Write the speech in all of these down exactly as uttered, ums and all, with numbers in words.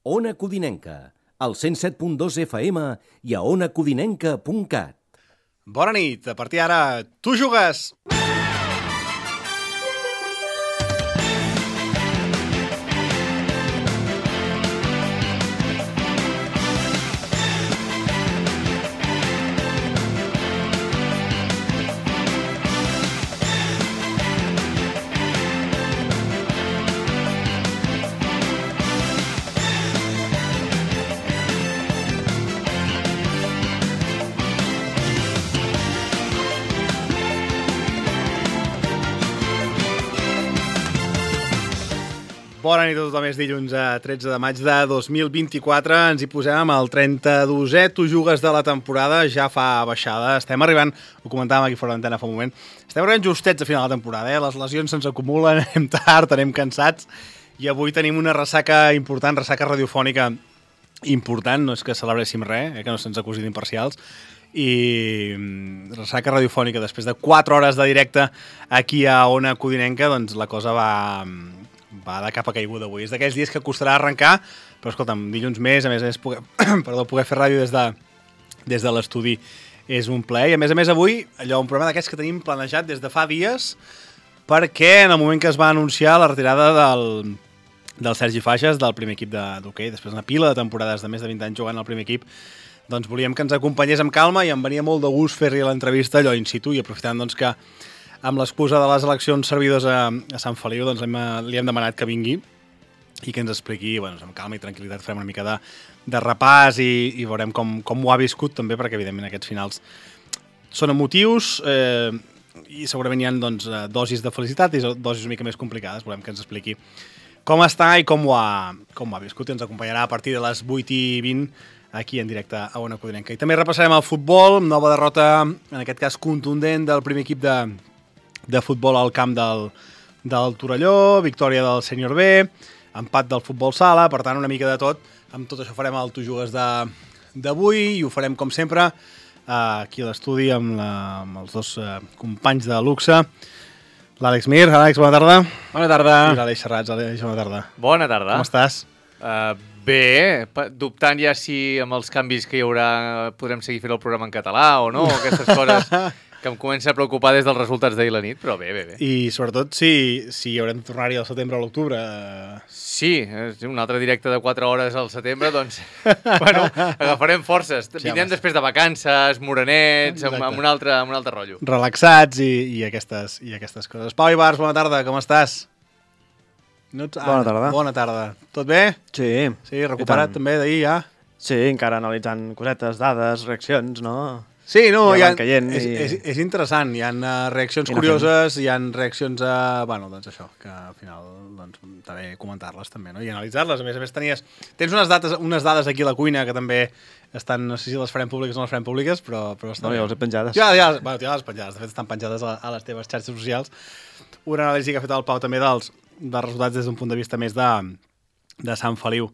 Ona Codinenca, al cent set punt dos F M i a ona codinenca punt cat. Bona nit, a partir d'ara, tu jugues! Bona nit a tothom, és dilluns a tretze de maig de dos mil vint-i-quatre, ens hi posem amb el trenta-dosè Tu jugues de la temporada, ja fa baixada, estem arribant, ho comentàvem aquí fora d'antena fa un moment, estem arribant justets a final de la temporada, eh? Les lesions se'ns acumulen, anem tard, anem cansats, i avui tenim una ressaca important, ressaca radiofònica important, no és que celebréssim res, eh? Que no se'ns acusi d'imparcials, i ressaca radiofònica després de quatre hores de directe aquí a Ona Codinenca, doncs la cosa va... va de cap a caiguda avui. És d'aquells dies que costarà arrencar, però escolta'm, dilluns més, a més a més, poder, perdó, poder fer ràdio des de, des de l'estudi és un plaer. I a més a més avui, allò, un programa d'aquests que tenim planejat des de fa dies, perquè en el moment que es va anunciar la retirada del, del Sergi Faixas, del primer equip d'hoquei, després d'una pila de temporades de més de vint anys jugant al primer equip, doncs volíem que ens acompanyés amb calma i em venia molt de gust fer-li l'entrevista allò in situ i aprofitant doncs que amb l'excusa de les eleccions servidors a, a Sant Feliu, doncs hem, li hem demanat que vingui i que ens expliqui, bueno, amb calma i tranquil·litat farem una mica de, de repàs i, i veurem com, com ho ha viscut també, perquè evidentment aquests finals són emotius eh, i segurament hi ha doncs, dosis de felicitat i dosis una mica més complicades. Volem que ens expliqui com està i com ho ha, com ho ha viscut i ens acompanyarà a partir de les vuit i vint aquí en directe a Ona Codinenca. I també repassarem el futbol, nova derrota, en aquest cas contundent, del primer equip de de futbol al camp del, del Torelló, victòria del Sènior B, empat del futbol sala, per tant una mica de tot. Amb tot això farem el Tu jugues d'avui i ho farem com sempre eh, aquí a l'estudi amb, la, amb els dos eh, companys de luxe, l'Àlex Mir. Àlex, bona tarda. Bona tarda. I l'Àlex Serrats. Àlex, bona tarda. Bona tarda. Com estàs? Uh, bé, dubtant ja si amb els canvis que hi haurà podrem seguir fent el programa en català o no, aquestes coses que em comença a preocupar des dels resultats d'ahir la nit, però bé, bé, bé. I sobretot si, si haurem de tornar-hi al setembre o a l'octubre. Sí, un altre directe de quatre hores al setembre, doncs, bueno, agafarem forces. Sí, vindrem després de vacances, morenets, amb, amb, un altre, amb un altre rotllo. Relaxats i, i, aquestes, i aquestes coses. Pau Ibars, bona tarda, com estàs? No ets... ah, bona tarda. Bona tarda. Tot bé? Sí. Sí, recuperat també d'ahir ja? Sí, encara analitzant cosetes, dades, reaccions, no? Sí, no, ja hi ha, caient, és, i... és, és interessant, hi ha uh, reaccions curioses, hi ha reaccions a... Bueno, doncs això, que al final doncs, està bé comentar-les també, no? I analitzar-les. A més a més tenies... Tens unes, dates, unes dades aquí a la cuina que també estan... No sé si les farem públiques o no les farem públiques, però, però estan... No, ja les he penjades. Ja, ja, bueno, ja les penjades. De fet, estan penjades a, a les teves xarxes socials. Una anàlisi que ha fet el Pau també dels, dels resultats des d'un punt de vista més de, de Sant Feliu.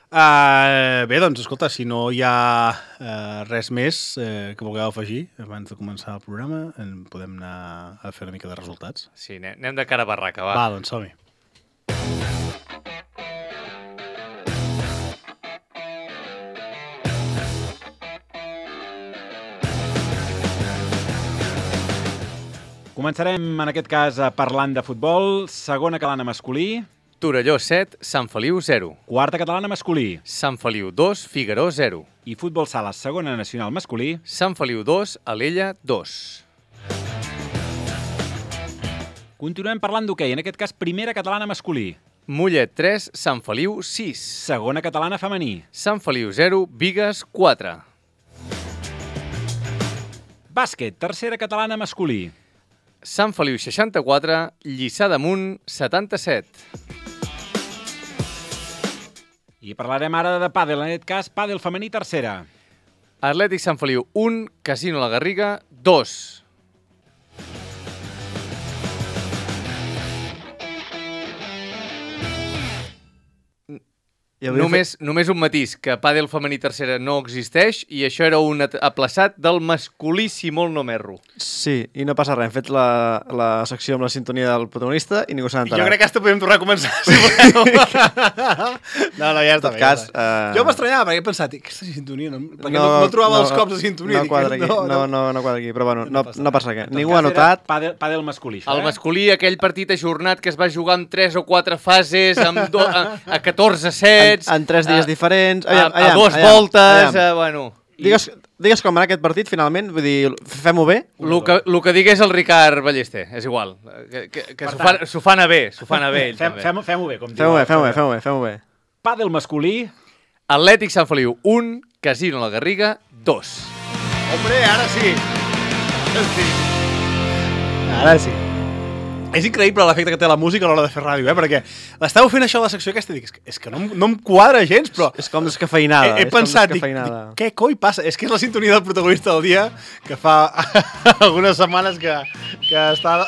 Uh, bé, doncs, escolta, si no hi ha uh, res més uh, que vulgueu afegir abans de començar el programa, en podem anar a fer una mica de resultats. Sí, anem de cara a barraca, va. Va, doncs som-hi. Començarem, en aquest cas, parlant de futbol. Segona catalana masculí. Torelló set, Sant Feliu zero. Quarta catalana masculí. Sant Feliu dos, Figaró zero. I futbol sala, segona nacional masculí. Sant Feliu dos, Alella dos. Continuem parlant d'hoquei, en aquest cas primera catalana masculí. Mollet tres, Sant Feliu sis. Segona catalana femení. Sant Feliu zero, Bigues quatre. Bàsquet, tercera catalana masculí. Sant Feliu seixanta-quatre, Lliçà d'Amunt setanta-set. I parlarem ara de pàdel, en aquest cas pàdel femení tercera. Atlètic Sant Feliu un, Casino La Garriga dos. Només, fet... només un matís, que pàdel femení tercera no existeix i això era un aplaçat del masculí si molt no m'erro. Sí, i no passa res. Hem fet la, la secció amb la sintonia del protagonista i ningú s'ha enterat. Jo crec que hasta podem tornar a començar, si voleu. no, no, ja està bé. Cas, ja uh... Jo m'estranyava perquè he pensat, aquesta sintonia, no, perquè no, no, no trobava no, els cops de sintonia. No quadra aquí, no, no, no, no quadra aquí, però bueno, no, no, no passa res. Ningú ha notat. Pàdel, pàdel masculí, això, El masculí, aquell partit ajornat que es va jugar amb tres o quatre fases, amb do, a, a catorze sets... En, en tres dies uh, diferents... Aviam, a, a dues aviam, voltes, aviam. Uh, bueno... Digues, digues com va aquest partit, finalment, vull dir, fem-ho bé? El que, lo que digués el Ricard Ballester, és igual, que, que, que s'ho fan, fan a bé, s'ho fan a bé. Fem, fem, fem-ho bé, com diu. Fem-ho bé, fem-ho bé, fem-ho bé, fem-ho bé. Pàdel masculí... Atlètic Sant Feliu, un, Casino La Garriga, dos. Hombre, ara sí. Ara sí. Ara sí. És increïble l'efecte que té la música a l'hora de fer ràdio, eh? Perquè l'estàveu fent això a la secció aquesta i dic, és que no, no em quadra gens, però... És com descafeinada. He, he pensat, dic, dic, què coi passa? És que és la sintonia del protagonista del dia que fa algunes setmanes que, que està...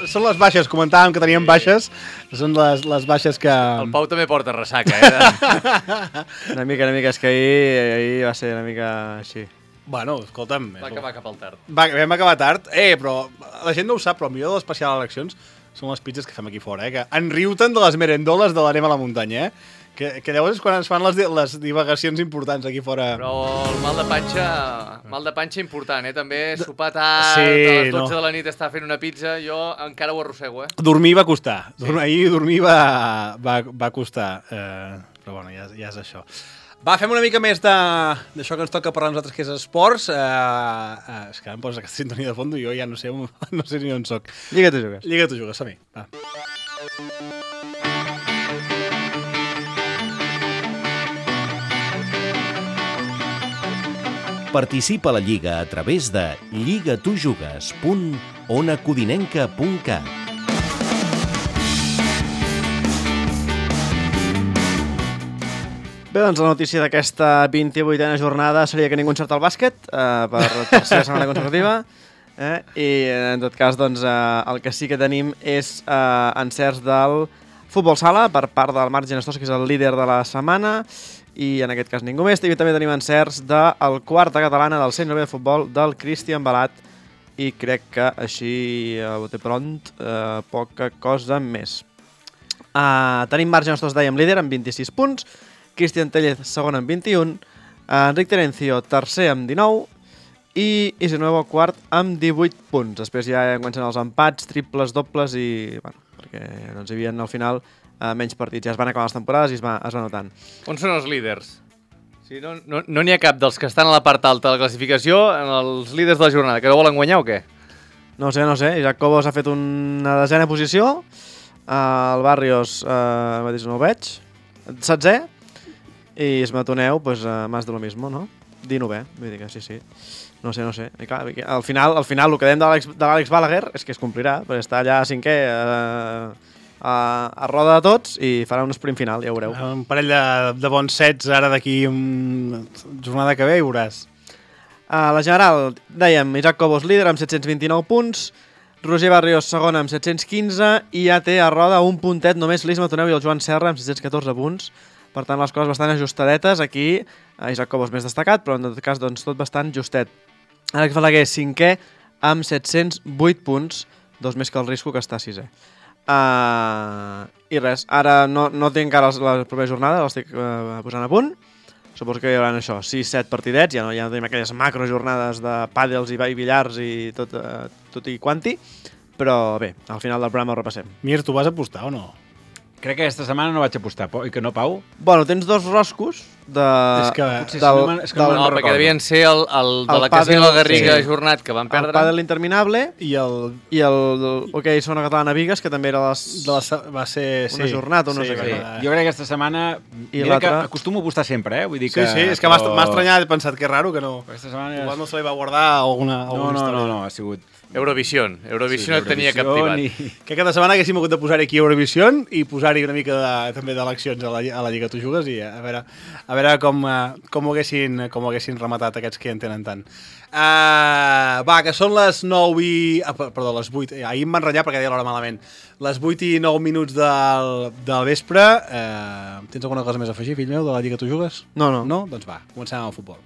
Són les baixes, comentàvem que teníem baixes, són les, les baixes que... El Pau també porta ressaca, eh? una mica, una mica, és que ahir, ahir va ser una mica així. Bueno, escolta'm... Va acabar cap al tard. Va, vam acabar tard. Eh, però la gent no ho sap, però el millor de l'especial eleccions són les pizzas que fem aquí fora, eh? Que enriu-te'n de les merendoles de l'anem a la muntanya, eh? Que, que llavors és quan ens fan les, les divagacions importants aquí fora. Però el mal de panxa, mal de panxa important, eh? També sopar tard, sí, a les dotze no. de la nit estar fent una pizza, jo encara ho arrossego, eh? Dormir va costar. Sí. Dormir, ahir dormir va, va, va costar. Eh, però bueno, ja, ja és això. Va, fem una mica més d'això que ens toca parlar nosaltres, que és esports. Uh, uh, és que em poses aquesta sintonia de fons i jo ja no sé, no sé ni on soc. Lliga tu jugues. Lliga tu jugues, som-hi. Va. Participa a la Lliga a través de lligatujugues punt onacodinenca punt cat. Bé, doncs la notícia d'aquesta vint-i-vuitena jornada seria que ningú encerta el bàsquet, eh, per tercera setmana consecutiva. Eh? I en tot cas, doncs, eh, el que sí que tenim és eh, encerts del futbol sala per part del Marc Genestosa, que és el líder de la setmana, i en aquest cas ningú més. I també tenim encerts del quarta catalana del centre de futbol del Cristian Balat, i crec que així, a bote pront, eh, poca cosa més. Eh, tenim Marc Genestosa, dèiem, líder amb vint-i-sis punts, Cristian Tellez, segon amb vint-i-un, Enric Terencio, tercer amb dinou, i Isi Nuevo, quart amb divuit punts. Després ja comencen els empats, triples, dobles, i bueno, perquè doncs, hi havia al final eh, menys partits. Ja es van acabar les temporades i es va, es va notant. On són els líders? Sí, no n'hi no, no ha cap dels que estan a la part alta de la classificació, els líders de la jornada, que no volen guanyar o què? No sé, no sé. Isaac Cobos ha fet una desena posició, eh, el Barrios eh, mateix no ho veig, setzè, i Esmatoneu, pues, uh, más de lo mismo, no? dinovè, vull dir que sí, sí. No sé, no sé. I clar, al final, al final el que dèiem de l'Àlex Balaguer és que es complirà, perquè està allà a cinquè, uh, a, a roda de tots, i farà un sprint final, ja ho veureu. Un parell de, de bons sets ara d'aquí una jornada que ve, i veuràs. A la general, dèiem, Isaac Cobos líder amb set-cents vint-i-nou punts, Roger Barrios segon amb set-cents quinze, i ja té a roda un puntet només l'Isma Toneu i el Joan Serra amb set-cents catorze punts. Per tant, les coses bastant ajustadetes. Aquí, Isaac Cobos més destacat, però en tot cas, doncs, tot bastant justet. Àlex Balaguer, cinquè, amb set-cents vuit punts, dos més que el Risco, que està sisè. Uh, I res, ara no, no tinc encara la propera jornada, l'estic uh, posant a punt. Suposo que hi haurà això, sis set partidets, ja no, ja no tenim aquelles macro jornades de pàdels i billars i tot, uh, tot i quanti, però bé, al final del programa ho repassem. Mir, tu vas apostar o no? Crec que aquesta setmana no vaig apostar, i que no, Pau? Bueno, tens dos roscos de... És que... Potser del, si no, és que no, no, no perquè devien ser el, el de el la Casino La Garriga sí. ajornat, que van perdre. El pàdel interminable i el... I el, el OK, Segona Catalana Vigues, que també era les... De la, va ser... Una sí. jornada o no sí, sé què. Sí. Jo crec que aquesta setmana... I mira que l'altra... acostumo a apostar sempre, eh? Vull dir Sí, que, sí, és que m'ha però... estranyat, he pensat que és raro que no... Aquesta setmana... Igual no se li va guardar alguna, no, alguna no, història. no, no, ha sigut... Eurovision. Eurovision sí, no tenia cap privat. I... Que cada setmana haguéssim hagut de posar aquí Eurovision i posar-hi una mica de, també d'eleccions a, la, a la Lliga Tu Jugues i a veure, a veure com, com, ho haguessin, com ho haguessin rematat aquests que en tenen tant. Uh, va, que són les nou i... Ah, perdó, les vuit. Ahir em van ratllar perquè deia l'hora malament. Les vuit i nou minuts del, del vespre. Uh, tens alguna cosa més a afegir, fill meu, de la Lliga Tu Jugues? No, no. No? Doncs va, comencem amb el futbol.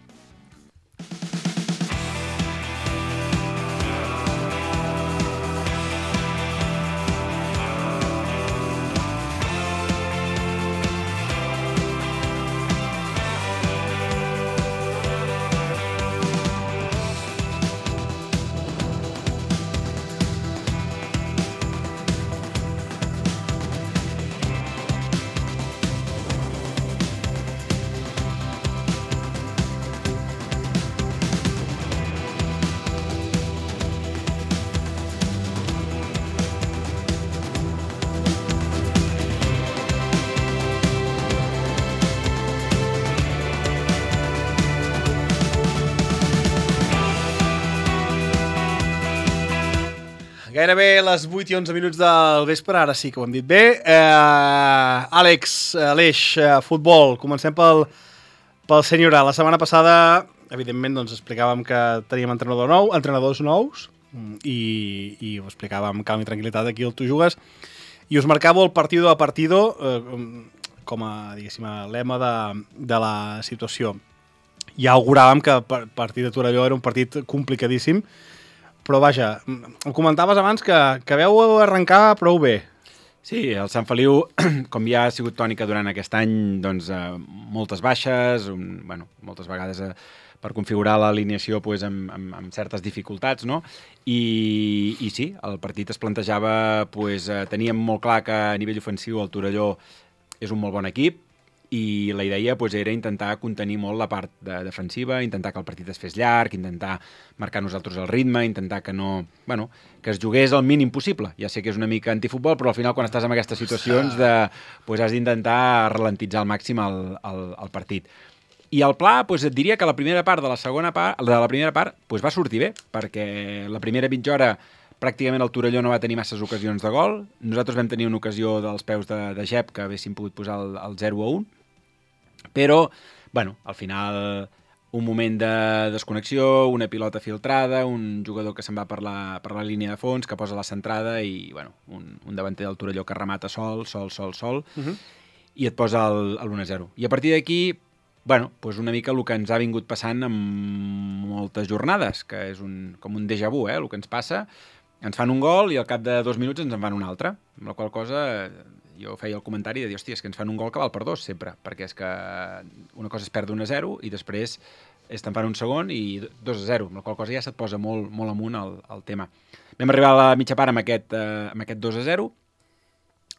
Gairebé les vuit i onze minuts del vespre, ara sí que ho hem dit bé. Eh, Àlex, Aleix, eh, futbol, comencem pel, pel senyor A. La setmana passada, evidentment, doncs, explicàvem que teníem entrenador nou, entrenadors nous, i, i ho explicàvem amb calma i tranquil·litat aquí al Tu Jugues, i us marcàveu el partido a partido eh, com a, diguéssim, a lema de, de la situació. Ja auguràvem que el partit de Torelló era un partit complicadíssim, però vaja, em comentaves abans que, que veu arrencar prou bé. Sí, el Sant Feliu, com ja ha sigut tònica durant aquest any, doncs eh, moltes baixes, un, bueno, moltes vegades eh, per configurar l'alineació pues, amb, amb, amb certes dificultats, no? I, i sí, el partit es plantejava, pues, eh, teníem molt clar que a nivell ofensiu el Torelló és un molt bon equip, i la idea pues, era intentar contenir molt la part de defensiva, intentar que el partit es fes llarg, intentar marcar nosaltres el ritme, intentar que no, bueno, que es jugués el mínim possible. Ja sé que és una mica antifutbol, però al final quan estàs en aquestes situacions de, pues, has d'intentar ralentitzar al màxim el, el, el partit. I el pla, pues, et diria que la primera part de la segona part, de la primera part pues, va sortir bé, perquè la primera mitja hora pràcticament el Torelló no va tenir masses ocasions de gol. Nosaltres vam tenir una ocasió dels peus de, de Jep que haguéssim pogut posar el, el zero a un. Però, bueno, al final un moment de desconnexió, una pilota filtrada, un jugador que se'n va per la, per la línia de fons, que posa la centrada i, bueno, un, un davanter del Torelló que remata sol, sol, sol, sol, uh-huh. i et posa l'u a zero. I a partir d'aquí, bueno, pues una mica el que ens ha vingut passant en moltes jornades, que és un, com un déjà vu, eh, el que ens passa. Ens fan un gol i al cap de dos minuts ens en fan un altre, amb la qual cosa jo feia el comentari de dir, hòstia, és que ens fan un gol que val per dos sempre, perquè és que una cosa es perd un a zero i després es te'n fan un segon i dos a zero, amb la qual cosa ja se't posa molt, molt amunt el, el tema. Vam arribar a la mitja part amb aquest, eh, amb aquest dos a zero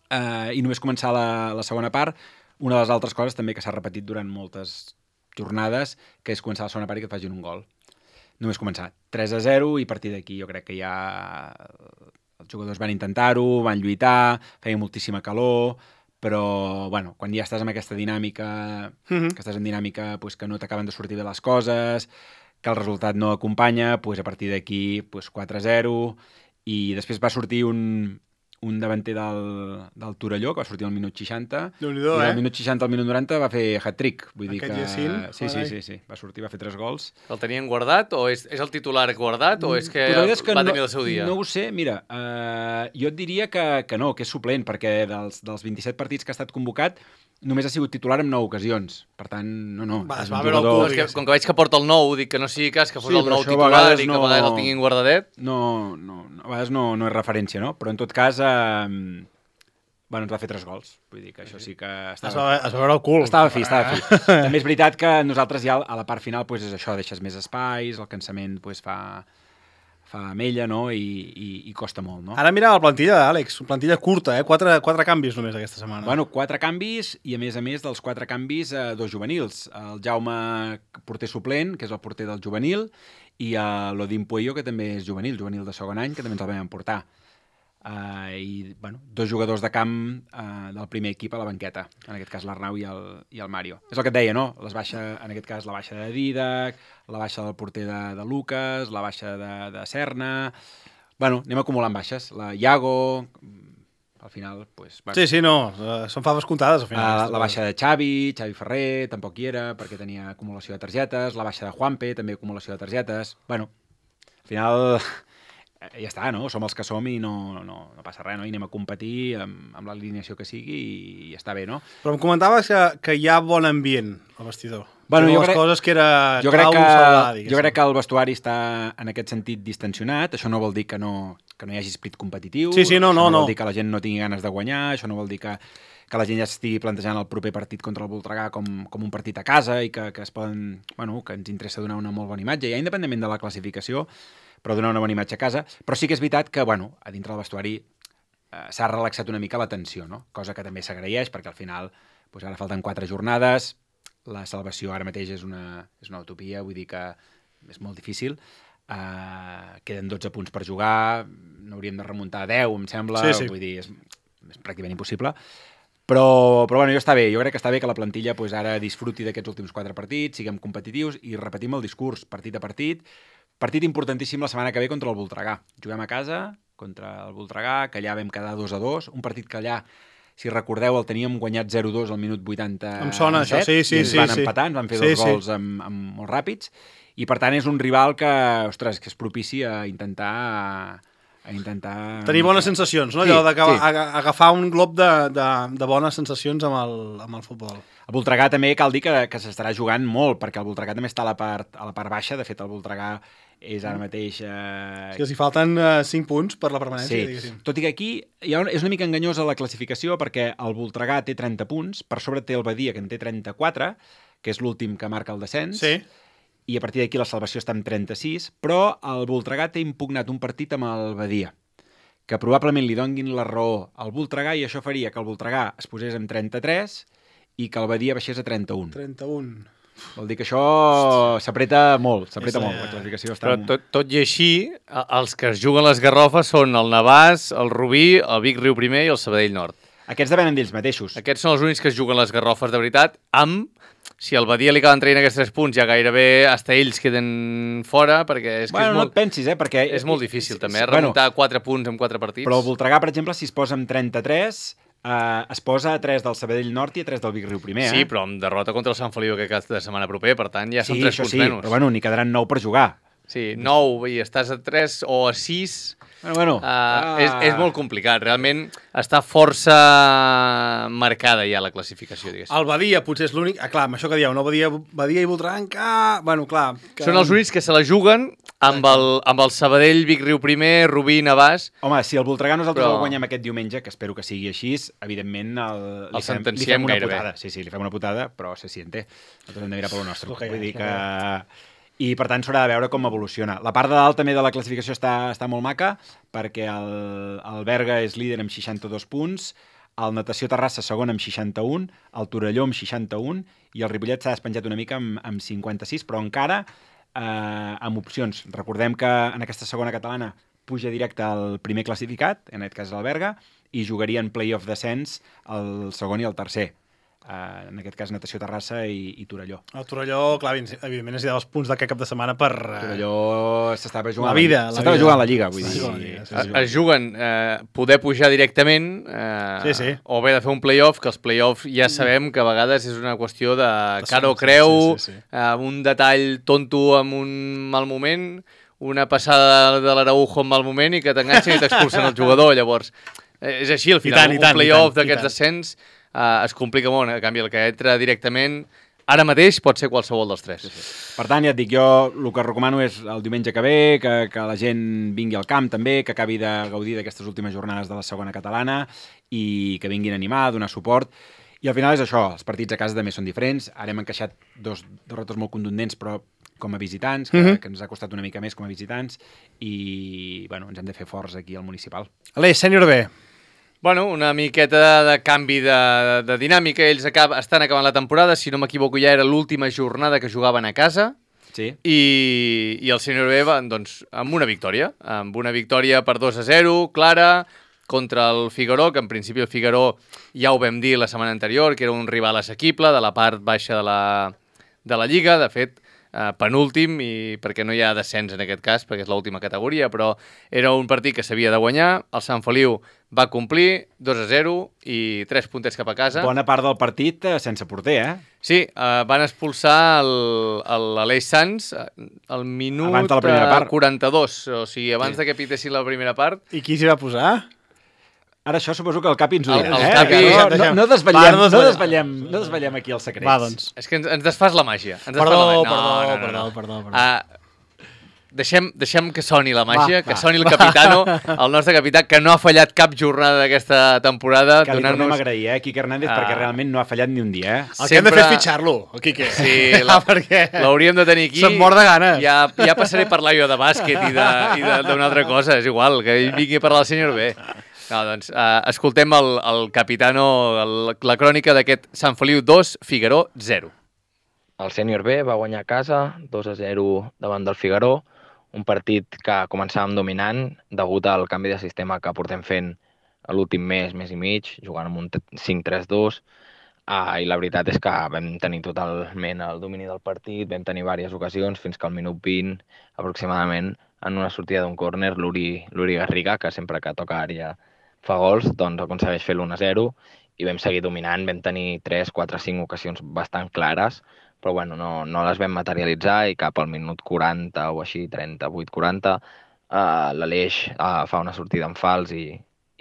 eh, i només començar la, la segona part, una de les altres coses també que s'ha repetit durant moltes jornades, que és començar la segona part i que et facin un gol. Només començar tres a zero i a partir d'aquí jo crec que ja els jugadors van intentar-ho, van lluitar, feia moltíssima calor, però bueno, quan ja estàs en aquesta dinàmica, mm-hmm. que estàs en dinàmica pues, que no t'acaben de sortir bé les coses, que el resultat no acompanya, pues, a partir d'aquí pues, quatre a zero i després va sortir un, un davanter del, del Torelló, que va sortir al minut seixanta, i eh? al minut seixanta al minut noranta va fer hat-trick. Vull Aquest dir que... Jacint, sí, sí, sí, sí, va sortir, va fer tres gols. El tenien guardat o és, és el titular guardat o és que, és que va no, tenir el seu dia? No ho sé, mira, uh, jo et diria que, que no, que és suplent, perquè dels, dels vint-i-set partits que ha estat convocat només ha sigut titular en nou ocasions. Per tant, no, no. Va, és va un veure el jugador... cul, No, és que, com que veig que porta el nou, dic que no sigui cas que fos Sí, el però nou això a titular vegades i que no- a vegades el tinguin guardadet. No, no, no, a vegades no, no és referència, no? Però en tot cas, eh, bueno, ens va fer tres gols. Vull dir que això sí que Es va, estava... es va veure el cul. Estava fi, estava fi. També és veritat que nosaltres ja a la part final pues, és això, deixes més espais, el cansament pues, fa, fa mella, no? I, i, i costa molt, no? Ara mira la plantilla, Àlex, una plantilla curta, eh? Quatre, quatre canvis només aquesta setmana. Bueno, quatre canvis i, a més a més, dels quatre canvis, eh, dos juvenils. El Jaume, porter suplent, que és el porter del juvenil, i eh, l'Odín Puello, que també és juvenil, juvenil de segon any, que també ens el vam emportar. Uh, I, bueno, dos jugadors de camp uh, del primer equip a la banqueta, en aquest cas l'Arnau i, el, i el Mario. És el que et deia, no? Les baixa, en aquest cas la baixa de Didac, la baixa del porter de, de Lucas, la baixa de, de Serna... Bueno, anem acumulant baixes. La Iago... al final... Pues, bueno. Sí, sí, no, uh, són faves comptades al final. Uh, la baixa de Xavi, Xavi Ferrer, tampoc hi era, perquè tenia acumulació de targetes, la baixa de Juanpe, també acumulació de targetes... Bueno, al final... ja està, no? Som els que som i no, no, no passa res, no? I anem a competir amb, amb l'alineació que sigui i, i està bé, no? Però em comentaves que, que hi ha bon ambient al vestidor. Bueno, jo les crec, coses que era jo crec clau que, salvar, jo crec que el vestuari està en aquest sentit distensionat. Això no vol dir que no, que no hi hagi esprit competitiu. Sí, sí, no, això no, no vol no. dir que la gent no tingui ganes de guanyar. Això no vol dir que, que la gent ja estigui plantejant el proper partit contra el Voltregà com, com un partit a casa i que, que, es poden, bueno, que ens interessa donar una molt bona imatge, ja independentment de la classificació, però donar una bona imatge a casa. Però sí que és veritat que, bueno, a dintre del vestuari eh, s'ha relaxat una mica la tensió, no? Cosa que també s'agraeix, perquè al final doncs ara falten quatre jornades, la salvació ara mateix és una, és una utopia, vull dir que és molt difícil. Uh, queden dotze punts per jugar, n'hauríem de remuntar a deu, em sembla, sí, sí. Vull dir, és, és pràcticament impossible. Però, però bueno, jo està bé, jo crec que està bé que la plantilla pues, ara disfruti d'aquests últims quatre partits, siguem competitius i repetim el discurs partit a partit. Partit importantíssim la setmana que ve contra el Voltregà. Juguem a casa contra el Voltregà, que allà vam quedar dos a dos, un partit que allà, si recordeu, el teníem guanyat zero a dos al minut vuitanta-set. Em sona això, sí, sí, i ens sí. van sí. empatar, ens van fer sí, dos sí. gols amb, amb molt ràpids, i per tant és un rival que, ostres, que és propici a intentar... a intentar... Tenir bones sensacions, no? Sí, Allò d'agafar sí. agafar un glob de, de, de bones sensacions amb el, amb el futbol. El Voltregà també cal dir que, que s'estarà jugant molt, perquè el Voltregà també està a la part, a la part baixa. De fet, el Voltregà és ara mateix... Eh... És que els hi falten uh, cinc punts per la permanència, sí. diguéssim. Tot i que aquí hi ha un, és una mica enganyosa la classificació, perquè el Voltregà té trenta punts, per sobre té el Badia, que en té trenta-quatre, que és l'últim que marca el descens, Sí. i a partir d'aquí la salvació està amb trenta-sis, però el Voltregà té impugnat un partit amb el Badia, que probablement li donguin la raó al Voltregà, i això faria que el Voltregà es posés amb trenta-tres i que el Badia baixés a trenta-un. trenta-un. Vol dir que això s'apreta molt, s'apreta És, molt, eh, la classificació està... Però tot, tot i així, a- els que es juguen les garrofes són el Navàs, el Rubí, el Vic Riu Primer i el Sabadell Nord. Aquests depenen d'ells mateixos. Aquests són els únics que es juguen les garrofes de veritat, amb... Si al Badia li acaben traient aquests tres punts, ja gairebé hasta ells queden fora, perquè és que Bueno, és, no molt, et pensis, eh, perquè... és molt difícil, també, eh, Bueno, remuntar quatre punts en quatre partits. però el Voltregà, per exemple, si es posa amb trenta-tres, eh, es posa a tres del Sabadell Nord i a tres del Vic Riu Primer, eh? Sí, però amb derrota contra el Sant Feliu aquest cap de setmana proper, per tant, ja sí, són tres això punts sí, menys. però bueno, n'hi quedaran nou per jugar. Sí, nou, i estàs a tres o a sis... Bueno, bueno. Uh, ah. és, és molt complicat, realment està força marcada ja la classificació, diguéssim. El Badia potser és l'únic... Ah, clar, amb això que dieu, no? Badia, Badia i Voltregà encara... Bueno, clar... Que... Són els únics que se la juguen amb el, amb el Sabadell, Vic Riu Primer, Rubí, Navàs... Home, si el Voltregà nosaltres Però- el guanyem aquest diumenge, que espero que sigui així, evidentment el, El li, fem, li sentenciem fem una gairebé. putada. Sí, sí, li fem una putada, però se siente. Nosaltres hem de mirar pel nostre. Ok, Vull dir ok. que... I, per tant, s'haurà de veure com evoluciona. La part de dalt també de la classificació està, està molt maca, perquè el, el Berga és líder amb seixanta-dos punts, el Natació Terrassa segon amb seixanta-un, el Torelló amb seixanta-un, i el Ripollet s'ha despenjat una mica amb, amb cinquanta-sis, però encara eh, amb opcions. Recordem que en aquesta segona catalana puja directe al primer classificat, en aquest cas el Berga, i jugarien play-off descens el segon i el tercer. Uh, en aquest cas Natació Terrassa i, i Torelló. El Torelló, clar, evidentment necessitava els punts d'aquest cap de setmana per... eh, Torelló s'estava jugant La vida, la s'estava vida. jugant la Lliga, vull S'estava dir. jugant la Lliga, sí, Es, sí. es juguen eh, poder pujar directament eh, Sí, sí. o bé de fer un play-off, que els play-offs ja sabem que a vegades és una qüestió de De cara o sort, creu, sí, sí, sí. eh, un detall tonto amb un mal moment, una passada de l'Araujo en mal moment i que t'enganxen i t'expulsen el jugador. Llavors, eh, és així, al I final, tant, i un tant, i play-off tant, i d'aquests tant. descens eh, es complica molt. En canvi, el que entra directament, ara mateix pot ser qualsevol dels tres. Per tant, ja et dic, jo el que recomano és el diumenge que ve, que, que la gent vingui al camp també, que acabi de gaudir d'aquestes últimes jornades de la segona catalana i que vinguin a animar, a donar suport. I al final és això, els partits a casa també són diferents. Ara hem encaixat dos derrotes molt contundents, però com a visitants, que, Mhm. que ens ha costat una mica més com a visitants, i bueno, ens hem de fer forts aquí al municipal. Aleix, sènior B. Bueno, una miqueta de canvi de, de dinàmica. Ells acab estan acabant la temporada, si no m'equivoco ja era l'última jornada que jugaven a casa, Sí? i, i el sènior B va, doncs, amb una victòria, amb una victòria per dos a zero, clara, contra el Figaró, que en principi el Figaró ja ho vam dir la setmana anterior, que era un rival assequible de la part baixa de la, de la Lliga. De fet, uh, penúltim, i perquè no hi ha descens en aquest cas, perquè és l'última categoria, però era un partit que s'havia de guanyar, el Sant Feliu va complir dos a zero i tres puntets cap a casa. Bona part del partit eh, sense porter, eh? Sí, uh, van expulsar l'Aleix Sans al minut abans de la primera part. quaranta-dos, o sigui, abans Sí. de que pitessin la primera part. I qui s'hi va posar? Ara això suposo que el Capi ens ho El- dirà, el eh? Capi- No, no, no, desvetllem, Va, no no, desvetllem. desvetllem, no desvetllem aquí els secrets. Va, doncs. És que ens, ens desfas la màgia. Ens desfas Perdó, la màgia. perdó, no, no, perdó, no. perdó, perdó. Uh, deixem, deixem que soni la màgia, Va, que va. soni el capitano, el nostre capità, que no ha fallat cap jornada d'aquesta temporada. Que li tornem a donant-nos... agrair, eh, Quique Hernández, Ah. perquè realment no ha fallat ni un dia, eh? El que hem de fer Sempre- és fitxar-lo, el Quique. Sí, la, perquè l'hauríem de tenir aquí. se'm mor de ganes. Ja, ja passaré a parlar jo de bàsquet i de- i de- d'una altra cosa, és igual, que ell vingui a parlar del senyor B. No, doncs, uh, escoltem el, el capitano, el, la crònica d'aquest Sant Feliu dos, Figaró zero. El sènior B va guanyar a casa dos a zero davant del Figaró, un partit que començàvem dominant degut al canvi de sistema que portem fent l'últim mes, mes i mig, jugant amb un cinc tres dos, uh, i la veritat és que vam tenir totalment el domini del partit, vam tenir diverses ocasions fins que al minut vint aproximadament, en una sortida d'un córner, l'Uri l'Uri Garriga, que sempre que toca àrea fa gols, doncs aconsegueix fer l'u a zero i vam seguir dominant, vam tenir tres, quatre, cinc ocasions bastant clares, però bueno, no, no les vam materialitzar i cap al minut quaranta o així, trenta-vuit quaranta, uh, l'Aleix uh, fa una sortida en fals i,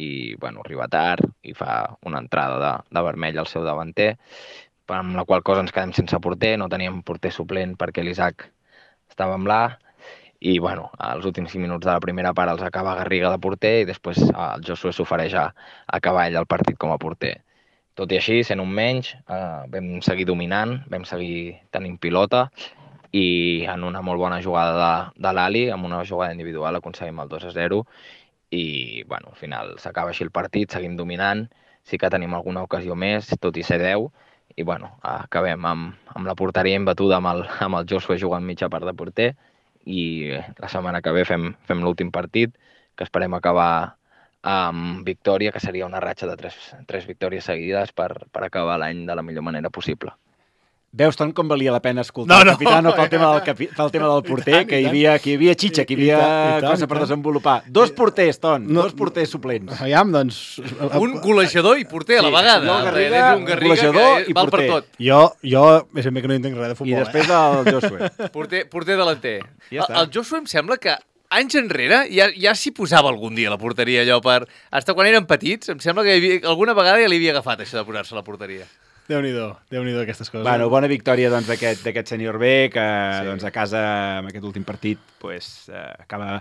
i bueno, arriba tard i fa una entrada de, de vermell al seu davanter, amb la qual cosa ens quedem sense porter, no teníem porter suplent perquè l'Isaac estava amb l'A, i bueno, als últims cinc minuts de la primera part els acaba Garriga de porter i després el Josué s'ofereix a acabar ell el partit com a porter. Tot i així, sent un menys, eh, vam seguir dominant, vam seguir tenint pilota i en una molt bona jugada de, de l'Ali, amb una jugada individual, aconseguim el dos a zero i bueno, al final s'acaba així el partit, seguim dominant, sí que tenim alguna ocasió més, tot i ser deu, i bueno, acabem amb, amb la porteria imbatuda amb el, amb el Josué jugant mitja part de porter i la setmana que ve fem, fem l'últim partit, que esperem acabar amb victòria, que seria una ratxa de tres, tres victòries seguides per, per acabar l'any de la millor manera possible. Veus tant com valia la pena escoltar No, el no. capitano pel tema del, capi, pel tema del porter, tant, que i hi tant. havia, que hi havia xitxa, que hi I havia tant, i tant, cosa i per tant. desenvolupar. Dos porters, Ton, No- dos porters suplents. Aviam, doncs... Un golejador i porter a la Sí, vegada. jo, Garriga, Ets un Garriga golejador que i val per porter. tot. Jo, jo, és ben bé que no entenc res de I futbol, després eh? el Josué. Porter, porter delanter. Ja el, està. el Josué em sembla que anys enrere ja, ja s'hi posava algun dia a la porteria, allò per... Hasta quan eren petits, em sembla que hi havia, alguna vegada ja li havia agafat això de posar-se a la porteria. Déu-n'hi-do, Déu-n'hi-do aquestes coses. Bueno, bona victòria doncs, d'aquest d'aquest sènior B, que Sí. doncs, a casa, amb aquest últim partit, pues, eh, acaba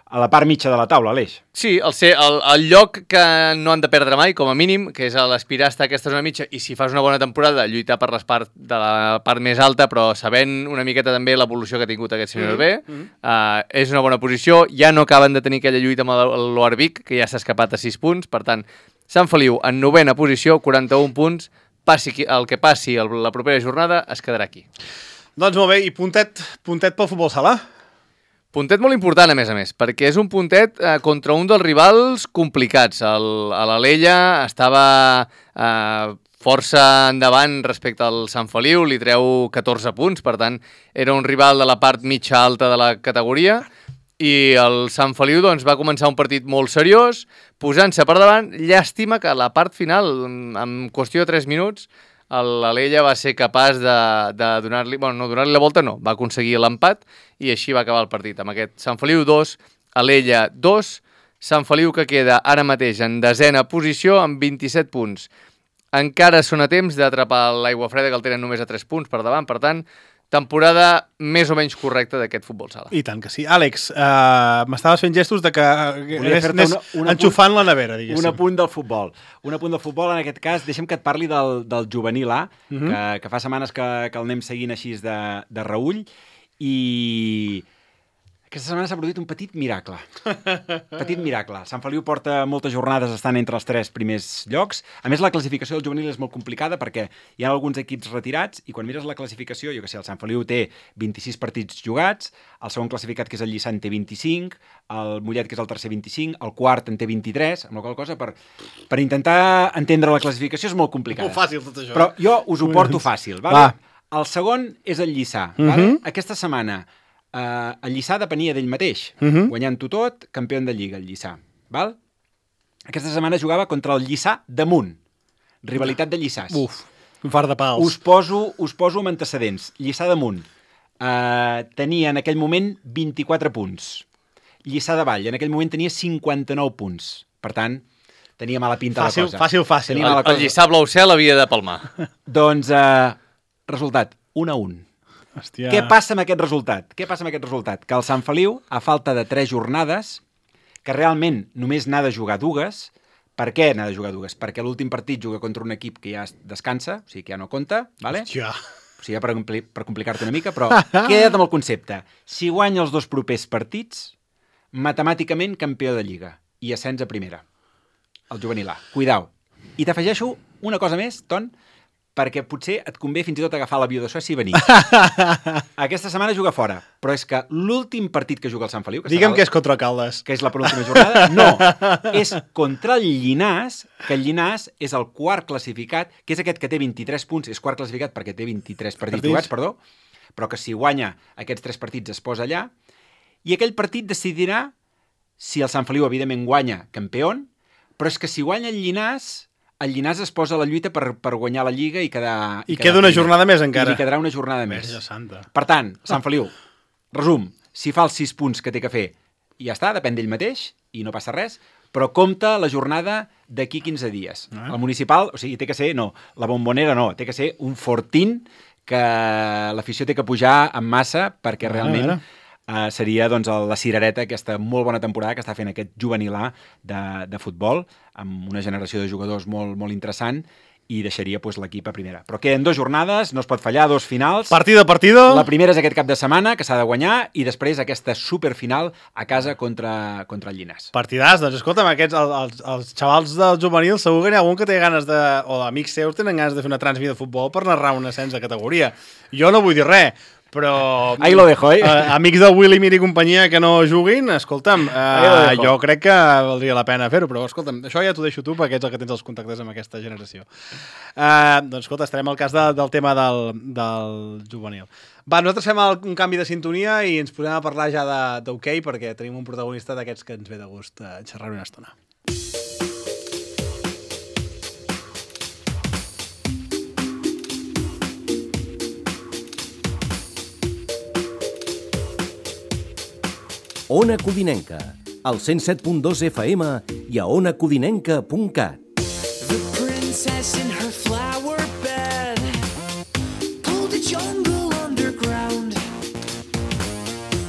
a la part mitja de la taula, Aleix. Sí, el, ser, el, el lloc que no han de perdre mai, com a mínim, que és a l'aspirar a estar a aquesta zona mitja, i si fas una bona temporada, lluitar per les part de la part més alta, però sabent una miqueta també l'evolució que ha tingut aquest senyor B, mm -hmm. uh, és una bona posició, ja no acaben de tenir aquella lluita amb l'Oarvic, que ja s'ha escapat a sis punts, per tant, Sant Feliu en novena posició, quaranta-un punts, passi qui- el que passi el, la propera jornada, es quedarà aquí. Doncs molt bé, i puntet, puntet pel futbol sala? Puntet molt important, a més a més, perquè és un puntet eh, contra un dels rivals complicats. El, a l'Alella estava eh, força endavant respecte al Sant Feliu, li treu catorze punts, per tant, era un rival de la part mitja alta de la categoria, i el Sant Feliu doncs, va començar un partit molt seriós, posant-se per davant. Llàstima que a la part final, en qüestió de tres minuts, l'Alella va ser capaç de, de donar-li... Bueno, no donar-li la volta, no. Va aconseguir l'empat i així va acabar el partit. Amb aquest Sant Feliu dos, Alella dos, Sant Feliu que queda ara mateix en desena posició amb vint-i-set punts. Encara són a temps d'atrapar l'Aigua Freda, que el tenen només a tres punts per davant. Per tant, temporada més o menys correcta d'aquest futbol sala. I tant que sí. Àlex, uh, m'estaves fent gestos de que Volia anés, fer-te anés una- un apunt- enxufant la nevera, diguéssim. Un apunt del futbol. Un apunt del futbol, en aquest cas, deixa'm que et parli del, del juvenil A, uh -huh. que, que fa setmanes que, que el anem seguint així de, de reull, i aquesta setmana s'ha produït un petit miracle. Petit miracle. Sant Feliu porta moltes jornades estant entre els tres primers llocs. A més, la classificació del juvenil és molt complicada perquè hi ha alguns equips retirats i quan mires la classificació, jo què sé, el Sant Feliu té vint-i-sis partits jugats, el segon classificat, que és el Lliçant, té vint-i-cinc, el Mollet, que és el tercer, vint-i-cinc, el quart en té vint-i-tres, amb la qual cosa, per, per intentar entendre la classificació és molt complicada. Molt fàcil, tot això. Però jo us ho porto fàcil. Va? Va. El segon és el Lliçà. Mhm. Vale? Aquesta setmana eh, el Lliçà depenia d'ell mateix, Mhm. guanyant-ho tot, campió de Lliga, el Lliçà. Val? Aquesta setmana jugava contra el Lliçà damunt. Rivalitat de Lliçàs. Uf, un far de pals. Us poso, us poso amb antecedents. Lliçà damunt eh, tenia en aquell moment vint-i-quatre punts. Lliçà de Vall en aquell moment tenia cinquanta-nou punts. Per tant, tenia mala pinta Fàcil, la cosa. fàcil, fàcil. Tenia El, mala el cosa. Lliçà Blau Cel havia de palmar. Doncs, eh, resultat, un a un. Hòstia. Què passa amb aquest resultat? Què passa amb aquest resultat? Que el Sant Feliu, a falta de tres jornades, que realment només n'ha de jugar dues. Per què n'ha de jugar dues? Perquè l'últim partit juga contra un equip que ja descansa, o sigui que ja no compta, vale? Hòstia. O sigui, ja per, compli per complicar-te una mica, però queda't amb el concepte. Si guanya els dos propers partits, matemàticament campió de Lliga i ascens a primera. El juvenil A. Cuidao. I t'afegeixo una cosa més, Ton, perquè potser et convé fins i tot agafar l'avió de Suècia i venir. Aquesta setmana juga fora, però és que l'últim partit que juga el Sant Feliu... Que Digue'm serà el- que és contra Caldes. que és la penúltima jornada, no, és contra el Llinàs, que el Llinàs és el quart classificat, que és aquest que té vint-i-tres punts, és quart classificat perquè té vint-i-tres partits Partits. jugats, perdó, però que si guanya aquests tres partits es posa allà, i aquell partit decidirà si el Sant Feliu, evidentment, guanya campió, però és que si guanya el Llinàs, el Llinàs es posa a la lluita per, per guanyar la Lliga i quedar... I quedar queda una primer. jornada més, I encara. li quedarà una jornada més. Verge santa. Per tant, Sant Feliu, resum, si fa els sis punts que té que fer, ja està, depèn d'ell mateix, i no passa res, però compta la jornada d'aquí quinze dies. Ah. El municipal, o sigui, té que ser, no, la bombonera no, té que ser un fortín que l'afició té que pujar en massa perquè A veure, realment a veure. uh, seria doncs, el- la cirereta, aquesta molt bona temporada que està fent aquest juvenil A de, de futbol, amb una generació de jugadors molt, molt interessant, i deixaria pues, l'equip a primera. Però queden dues jornades, no es pot fallar, dos finals. Partida, partido. La primera és aquest cap de setmana, que s'ha de guanyar, i després aquesta superfinal a casa contra, contra el Llinàs. Partidàs, doncs escolta'm, aquests, els, els, els xavals del juvenil segur que n'hi ha algun que té ganes de, o amics seus tenen ganes de fer una transmissió de futbol per narrar un ascens de categoria. Jo no vull dir res, però... Ahí lo dejo, eh? eh amics del Willy Mir i companyia que no juguin, escolta'm, Ahí lo eh, dejo. jo crec que valdria la pena fer-ho, però escolta'm, això ja t'ho deixo tu perquè ets el que tens els contactes amb aquesta generació. Eh, doncs escolta, estarem al cas de, del tema del, del juvenil. Va, nosaltres fem el, un canvi de sintonia i ens posem a parlar ja de- d'hoquei perquè tenim un protagonista d'aquests que ens ve de gust eh, xerrar una estona. Ona Codinenca, al cent set punt dos F M i a ona codinenca punt cat. The princess in her flower bed pulled a jungle underground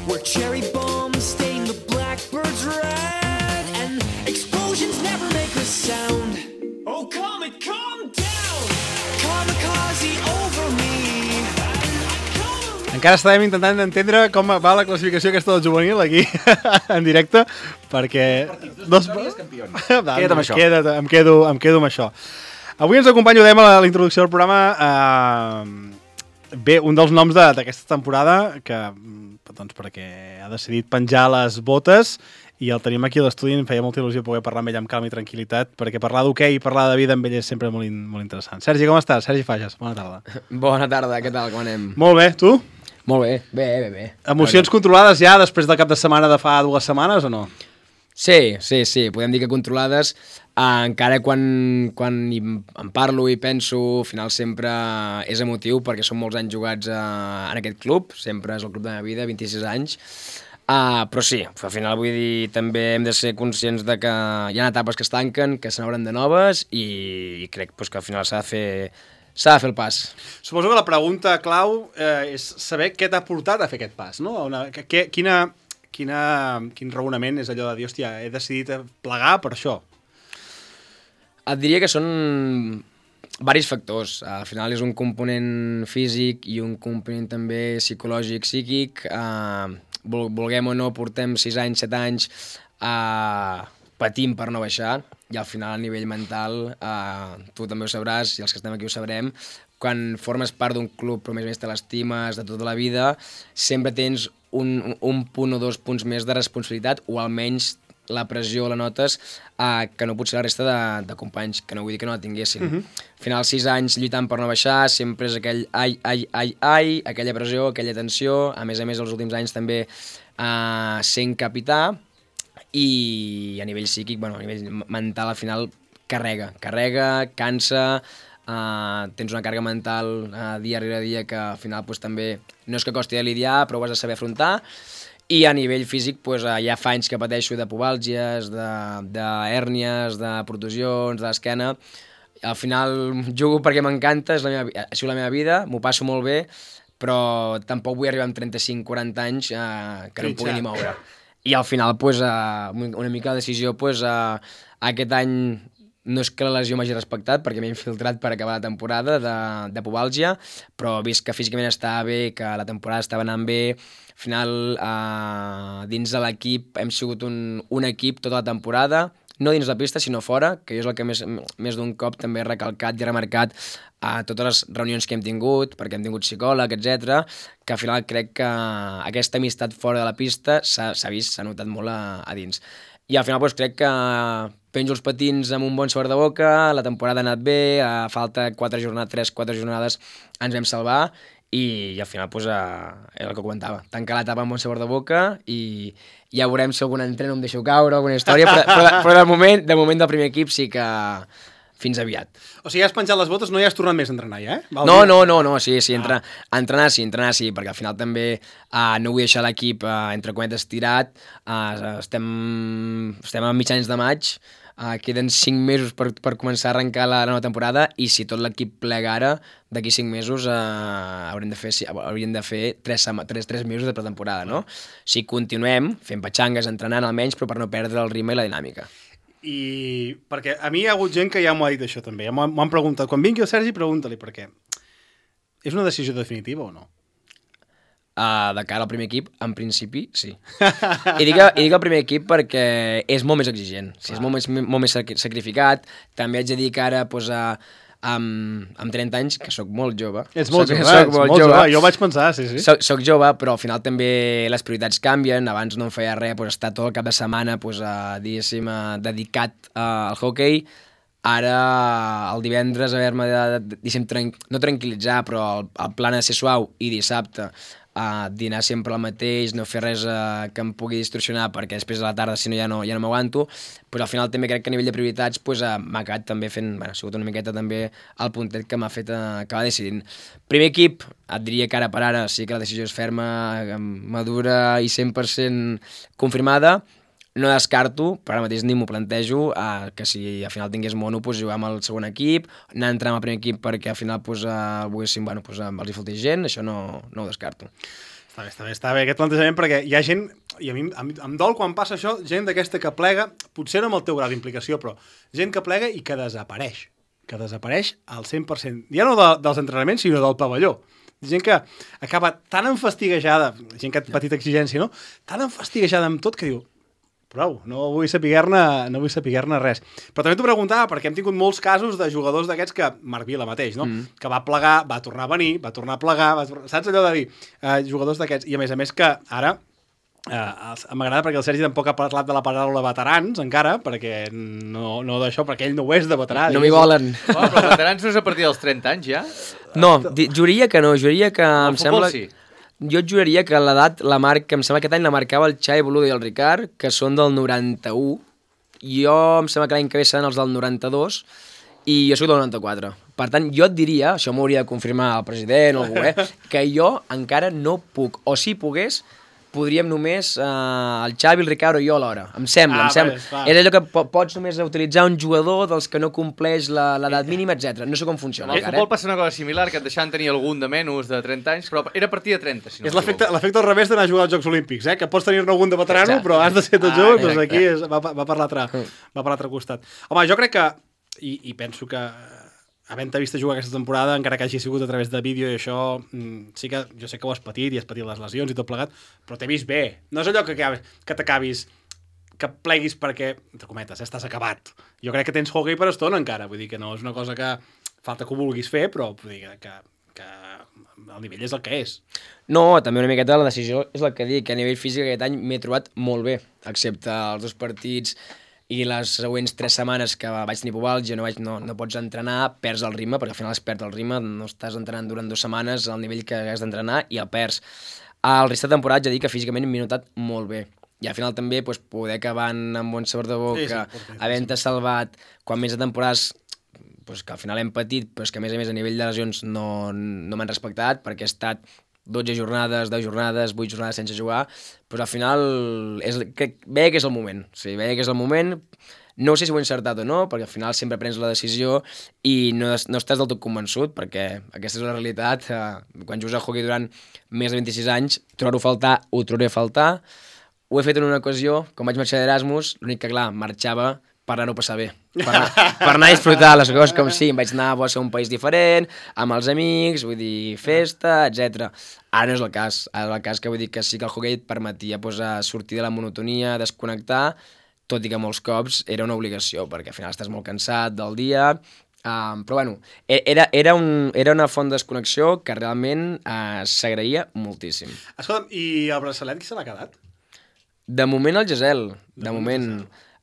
where cherry bombs stain the blackbirds red and explosions never make a sound. Oh, comet, calm down! Kamikaze over me. Encara estarem intentant entendre com va la classificació aquesta del juvenil aquí en directe, perquè... Dos... campions. Va, Queda't amb això. Queda't, em, quedo, em quedo amb això. Avui ens acompanya, ho dèiem a la, a la introducció del programa, eh, bé, un dels noms de- d'aquesta temporada, que doncs perquè ha decidit penjar les botes, i el tenim aquí a l'estudi, em feia molta il·lusió poder parlar amb ell amb calma i tranquil·litat, perquè parlar d'hoquei i parlar de vida amb ell és sempre molt, in, molt interessant. Sergi, com estàs? Sergi Fages, bona tarda. Bona tarda, què tal, com anem? Molt bé, tu? Molt bé, bé, bé, bé. Emocions controlades ja després del cap de setmana de fa dues setmanes o no? Sí, sí, sí, podem dir que controlades, eh, encara quan, quan hi, en parlo i penso, al final sempre és emotiu perquè són molts anys jugats eh, en aquest club, sempre és el club de la meva vida, vint-i-sis anys, uh, però sí, al final vull dir, també hem de ser conscients de que hi ha etapes que es tanquen, que se n'obren de noves i, i crec pues, que al final s'ha de fer s'ha de fer el pas. Suposo que la pregunta clau eh, és saber què t'ha portat a fer aquest pas, no? Una, que, que, quina, quina, quin raonament és allò de dir, hòstia, he decidit plegar per això? Et diria que són varis factors. Al final és un component físic i un component també psicològic, psíquic. Uh, vulguem o no, portem sis anys, set anys uh, patint per no baixar i al final a nivell mental, uh, tu també ho sabràs i els que estem aquí ho sabrem, quan formes part d'un club però a més a més te l'estimes de tota la vida, sempre tens un, un punt o dos punts més de responsabilitat o almenys la pressió la notes uh, que no potser la resta de, de companys, que no vull dir que no la tinguessin. Uh-huh. Al final, sis anys lluitant per no baixar, sempre és aquell ai, ai, ai, ai, aquella pressió, aquella tensió, a més a més els últims anys també uh, sent capità, i a nivell psíquic, bueno, a nivell mental al final carrega, carrega, cansa, uh, tens una càrrega mental uh, dia rere dia que al final pues, també no és que costi de lidiar, però ho has de saber afrontar. I a nivell físic pues, uh, hi ha fa anys que pateixo de pubàlgies, d'hèrnies, de, de protusions, de l'esquena. Al final jugo perquè m'encanta, és la meva, ha sigut la meva vida, m'ho passo molt bé, però tampoc vull arribar amb trenta-cinc quaranta anys uh, que no em pugui ni moure. I al final, pues, uh, una mica la decisió, pues, uh, aquest any no és que la lesió m'hagi respectat, perquè m'he infiltrat per acabar la temporada de, de pubàlgia, però vist que físicament estava bé, que la temporada estava anant bé, al final, uh, dins de l'equip hem sigut un, un equip tota la temporada, no dins la pista, sinó fora, que és el que més, més d'un cop també he recalcat i he remarcat a totes les reunions que hem tingut, perquè hem tingut psicòleg, etcètera, que al final crec que aquesta amistat fora de la pista s'ha vist, s'ha notat molt a, a dins. I al final doncs, crec que penjo els patins amb un bon sabor de boca, la temporada ha anat bé, a falta quatre jornades, tres, quatre jornades ens vam salvar, i, i al final doncs, és el que comentava, tancar l'etapa amb bon sabor de boca i ja veurem si algun entreno em deixo caure, alguna història, però, però, però de, moment, de moment del primer equip sí que fins aviat. O sigui, has penjat les botes, no hi has tornat més a entrenar ja, eh? Val no, no, no, no, sí, sí, entrenar, ah. entrenar sí, entrenar sí, perquè al final també uh, no vull deixar l'equip, uh, entre cometes, tirat, uh, estem, estem a mitjans de maig, uh, queden cinc mesos per, per començar a arrencar la, la nova temporada, i si tot l'equip plega ara, d'aquí cinc mesos uh, haurem de fer, hauríem de fer tres, tres, tres mesos de pretemporada, no? O sigui, continuem fent petxangues, entrenant almenys, però per no perdre el ritme i la dinàmica. I perquè a mi hi ha hagut gent que ja m'ho ha dit això també, m'ho han preguntat, quan vingui el Sergi pregunta-li per què. És una decisió definitiva o no? Uh, de cara al primer equip, en principi, sí. I dic, I dic el primer equip perquè és molt més exigent, o sigui, és molt més, molt més sacrificat. També haig de dir que ara pues, uh, amb, amb trenta anys, que sóc molt jove. Ets molt soc, jove, soc ets molt molt jove. jove, jo vaig pensar, sí, sí. Soc, soc jove, però al final també les prioritats canvien. Abans no em feia res, pues, estar tot el cap de setmana pues, uh, diguéssim, uh, dedicat uh, al hoquei. Ara, el divendres, haver-me de, de, de, tran no tranquil·litzar, però el, el plan ha de ser suau, i dissabte a dinar sempre el mateix, no fer res uh, que em pugui distorsionar, perquè després de la tarda, si no, ja no, ja no m'aguanto, pues, al final també crec que a nivell de prioritats pues, uh, m'ha acabat també fent, bueno, ha sigut una miqueta també el puntet que m'ha fet uh, acabar decidint. Primer equip, et diria que ara per ara sí que la decisió és ferma, madura i cent per cent confirmada. No descarto, per ara mateix ni m'ho plantejo, eh, que si al final tingués mono, pues, jugar amb el segon equip, anar a entrar amb el primer equip perquè al final pues, eh, volguéssim, bueno, pues, els hi faltés gent, això no, no ho descarto. Està bé, està bé, està bé aquest plantejament, perquè hi ha gent, i a mi em, em dol quan passa això, gent d'aquesta que plega, potser no amb el teu grau d'implicació, però gent que plega i que desapareix, que desapareix al cent per cent, ja no de, dels entrenaments, sinó del pavelló. Gent que acaba tan enfastiguejada, gent que ha patit exigència, no? Tan enfastiguejada amb tot que diu, prou, no vull saber-ne no vull saber-ne res. Però també t'ho preguntava perquè hem tingut molts casos de jugadors d'aquests que, Marc Vila mateix, no? Mm. Que va plegar, va tornar a venir, va tornar a plegar, va tornar... saps allò de dir? Uh, jugadors d'aquests. I a més a més que ara, uh, m'agrada perquè el Sergi tampoc ha parlat de la paraula veterans encara, perquè no, no d'això, perquè ell no ho és de veterà. No m'hi volen. Oh, però veterans no és a partir dels trenta anys, ja? No, juraria que no, juraria que el em sembla... Sí. Jo et juraria que l'edat, la marca, em sembla que aquest any la marcava el Xavi Boluda i el Ricard, que són del noranta-u. Jo em sembla que l'any que ve seran els del noranta-dos i jo soc del noranta-quatre. Per tant, jo et diria, això m'hauria de confirmar el president o algú, eh, que jo encara no puc, o si pogués, podríem només eh, el Xavi, el Ricard o jo alhora. Em sembla, ah, em sembla. Bé, és allò que po pots només utilitzar un jugador dels que no compleix l'edat mínima, etcètera. No sé com funciona. Al futbol passa una cosa similar, que et deixaven tenir algun de menys de trenta anys, però era a partir de trenta. Si no és l'efecte al revés d'anar a jugar als Jocs Olímpics, eh? Que pots tenir-ne algun de veterano, exacte, però has de ser tot ah, jove, doncs aquí és, va, va per l'altre costat. Home, jo crec que, i, i penso que havent-te vist jugar aquesta temporada, encara que hagi sigut a través de vídeo i això, sí que jo sé que ho has patit i has patit les lesions i tot plegat, però t'he vist bé. No és allò que, que t'acabis, que pleguis perquè, entre cometes, estàs acabat. Jo crec que tens hockey per estona encara, vull dir que no és una cosa que falta que ho vulguis fer, però vull dir que, que el nivell és el que és. No, també una miqueta la decisió és el que dic, que a nivell físic aquest any m'he trobat molt bé, excepte els dos partits i les següents tres setmanes que vaig tenir pubalgia, no, vaig, no, no pots entrenar, perds el ritme, perquè al final es perd el ritme, no estàs entrenant durant dues setmanes al nivell que has d'entrenar i el perds. Al resta de temporada ja dic que físicament m'he notat molt bé. I al final també pues, poder acabar amb bon sabor de boca, sí, sí, havent-te salvat, quan més de temporades pues, que al final hem patit, però que a més a més a nivell de lesions no, no m'han respectat, perquè he estat dotze jornades, deu jornades, vuit jornades sense jugar, però al final és, que, veia que és el moment, o sigui, veia que és el moment, no sé si ho he encertat o no, perquè al final sempre prens la decisió i no, no estàs del tot convençut, perquè aquesta és la realitat, eh, quan jugues a hockey durant més de vint-i-sis anys, trobar-ho a faltar, ho trobaré a faltar. Ho he fet en una ocasió, quan vaig marxar d'Erasmus, l'únic que, clar, marxava per anar-ho passar bé, per anar, per anar a disfrutar les coses com si em vaig anar a ser un país diferent, amb els amics, vull dir, festa, etcètera. Ara no és el cas, ara és el cas que vull dir que sí que el hockey et permetia pues, sortir de la monotonia, desconnectar, tot i que molts cops era una obligació, perquè al final estàs molt cansat del dia, um, però bueno, era, era, un, era una font de desconnexió que realment uh, s'agraïa moltíssim. Escolta'm, i el braçalet qui se l'ha quedat? De moment el Gesell, de, de moment,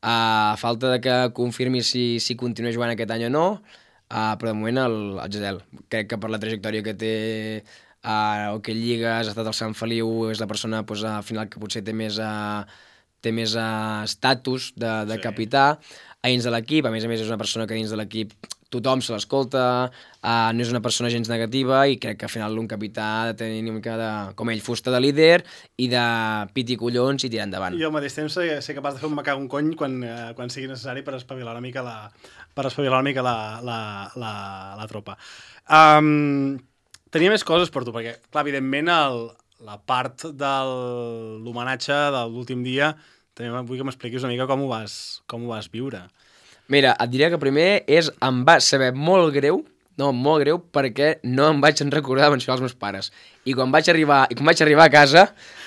a uh, falta de que confirmi si, si continua jugant aquest any o no, uh, però de moment el, el Gesell. Crec que per la trajectòria que té a uh, Hockey Lligues, ha estat al Sant Feliu, és la persona pues, al final que potser té més, uh, té més uh, estatus de, de sí. capità a dins de l'equip, a més a més és una persona que dins de l'equip tothom se l'escolta, uh, no és una persona gens negativa i crec que al final un capità ha de tenir una mica de, com ell, fusta de líder i de piti collons i tirar endavant. I al mateix temps ser, ser capaç de fer un macar un cony quan, uh, quan sigui necessari per espavilar una mica la, per espavilar una mica la, la, la, la tropa. Um, tenia més coses per tu, perquè, clar, evidentment, el, la part de l'homenatge de l'últim dia, també vull que m'expliquis una mica com ho vas, com ho vas viure. Mira, et diria que primer és, em va saber molt greu, no, molt greu, perquè no em vaig recordar de mencionar els meus pares. I quan vaig arribar, i quan vaig arribar a casa,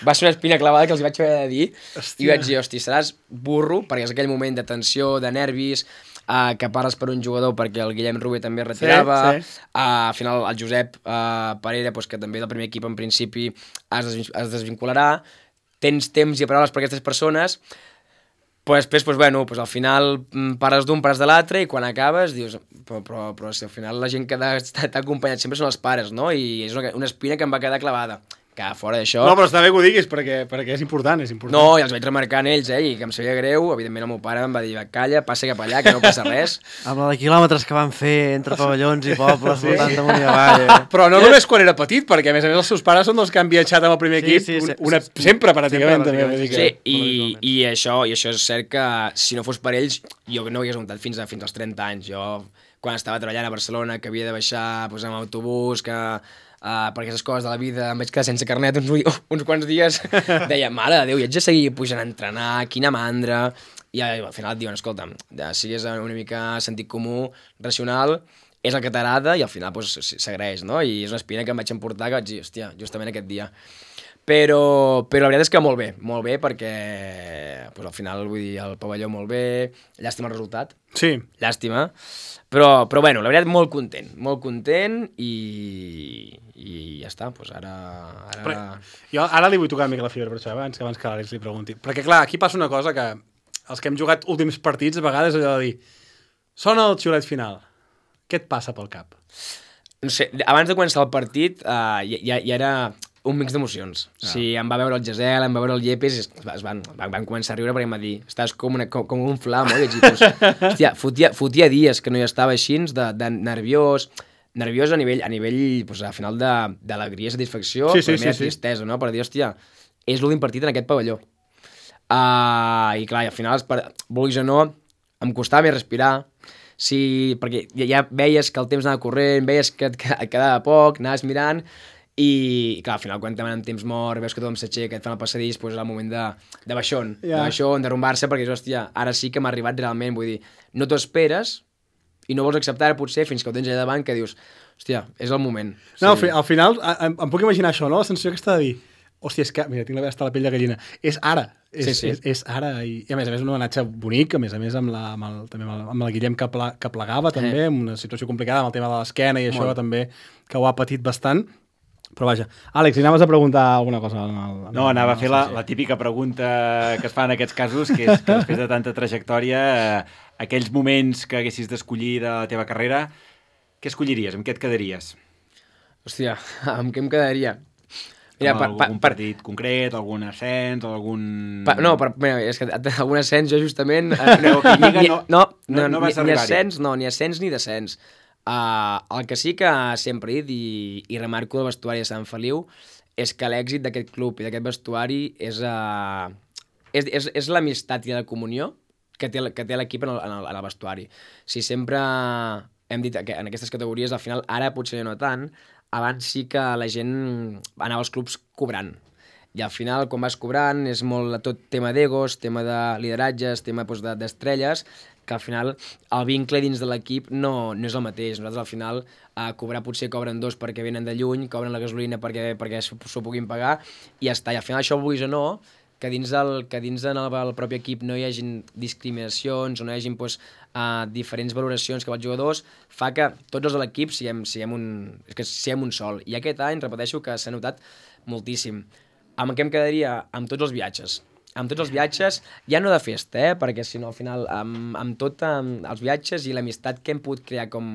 va ser una espina clavada que els vaig haver de dir, hòstia. I vaig dir, hosti, seràs burro, perquè és aquell moment de tensió, de nervis, uh, que parles per un jugador perquè el Guillem Rubé també es retirava, sí, sí. Uh, al final el Josep uh, Parera, pues, que també del primer equip en principi es, des es desvincularà, tens temps i paraules per aquestes persones. Pues després, pues, bueno, pues, al final pares d'un, pares de l'altre i quan acabes dius, però, però, però si al final la gent que t'ha acompanyat sempre són els pares, no? I és una, una espina que em va quedar clavada. Que fora d'això... No, però està bé que ho diguis, perquè, perquè és important, és important. No, i els vaig remarcar en ells, eh, i que em sabia greu. Evidentment el meu pare em va dir, calla, passa cap allà, que no passa res. Amb la de quilòmetres que van fer entre pavellons i pobles, sí. voltant damunt i avall. Eh? Però no només quan era petit, perquè a més a més els seus pares són els que han viatjat amb el primer equip, sí, sí, sí, una, sí, sempre pràcticament. Sempre, també, sí, i, i, això, i això és cert que si no fos per ells, jo no ho hagués muntat fins, a, fins als trenta anys. Jo, quan estava treballant a Barcelona, que havia de baixar pues, amb autobús, que... Uh, per aquestes coses de la vida em vaig quedar sense carnet uns, uh, uns quants dies, deia, mare de Déu, i haig de seguir pujant a entrenar, quina mandra, i al final et diuen, escolta, sigues una mica sentit comú, racional, és el que t'agrada i al final pues, s'agraeix, no? I és una espina que em vaig emportar que vaig dir, hòstia, justament aquest dia. Però, però la veritat és que molt bé, molt bé, perquè pues, al final, vull dir, el pavelló molt bé, llàstima el resultat. Sí. Llàstima. Però, però bueno, la veritat, molt content, molt content i, i ja està, doncs ara... ara... Però, jo ara li vull tocar una mica la fibra per això, abans que abans que l'Àlex li pregunti. Perquè clar, aquí passa una cosa que els que hem jugat últims partits a vegades allò de dir sona el xiulet final, què et passa pel cap? No sé, abans de començar el partit uh, ja, ja era un mix d'emocions. Ah. Si em va veure el Gesell, em va veure el Llepes, es, es van, van, van començar a riure perquè em va dir, estàs com, una, com, com un flam, oi? Pues, hòstia, fotia, fotia dies que no hi estava així, de, de nerviós, nerviós a nivell, a nivell, pues, al final de, d'alegria i satisfacció, sí, sí, però també sí, de tristesa, sí. No? Per dir, hòstia, és l'últim partit en aquest pavelló. Uh, I clar, i al final, vulguis o no, em costava més respirar, sí, perquè ja, ja veies que el temps anava corrent, veies que et, que et quedava poc, anaves mirant, i clar, al final quan demanen temps mort, veus que tothom s'aixeca, et fan el passadís, doncs és el moment de, de baixón, yeah. de baixón, de rumbar-se, perquè és, hòstia, ara sí que m'ha arribat realment, vull dir, no t'ho esperes i no vols acceptar potser fins que ho tens allà davant que dius, hòstia, és el moment. No, sí. Al final em, em puc imaginar això, no? La sensació que està de dir, hòstia, és que, mira, tinc la hasta la pell de gallina, és ara, és, sí, sí. és, és ara, i, i a més a més un homenatge bonic, a més a més amb, la, amb, el, també amb, el, amb el Guillem que, ple, que plegava també, eh. amb una situació complicada amb el tema de l'esquena i això Molt. També, que ho ha patit bastant. Però vaja. Àlex, si anaves a preguntar alguna cosa? En el, en No, anava a fer la, sí. la típica pregunta que es fa en aquests casos, que és que després de tanta trajectòria, eh, aquells moments que haguessis d'escollir de la teva carrera, què escolliries? Amb què et quedaries? Hòstia, amb què em quedaria? Mira, per, algun per, partit per... concret, algun ascens, algun... Pa, no, per, mira, és que algun ascens jo justament... Eh, no, ni, ni, no, no, no, no, no ni, vas ni arribar-hi. ascens, no, ni ascens ni descens. Uh, el que sí que sempre he dit i, i remarco del vestuari de Sant Feliu és que l'èxit d'aquest club i d'aquest vestuari és, uh, és, és, és l'amistat i la comunió que té, que té l'equip en, el, en, el, en el vestuari. Si sempre hem dit que en aquestes categories, al final, ara potser no tant, abans sí que la gent anava als clubs cobrant. I al final, quan vas cobrant, és molt tot tema d'egos, tema de lideratges, tema doncs, de, d'estrelles, que al final el vincle dins de l'equip no, no és el mateix. Nosaltres al final a cobrar potser cobren dos perquè venen de lluny, cobren la gasolina perquè, perquè s'ho puguin pagar i ja està. I al final això, vulguis o no, que dins, el, que dins del el propi equip no hi hagin discriminacions o no hi hagin doncs, uh, diferents valoracions cap als jugadors, fa que tots els de l'equip siguem, siguem, un, que siguem un sol. I aquest any, repeteixo, que s'ha notat moltíssim. Amb què em quedaria? Amb tots els viatges. Amb tots els viatges, ja no de festa, eh? Perquè si no, al final, amb, amb tot amb els viatges i l'amistat que hem pogut crear com,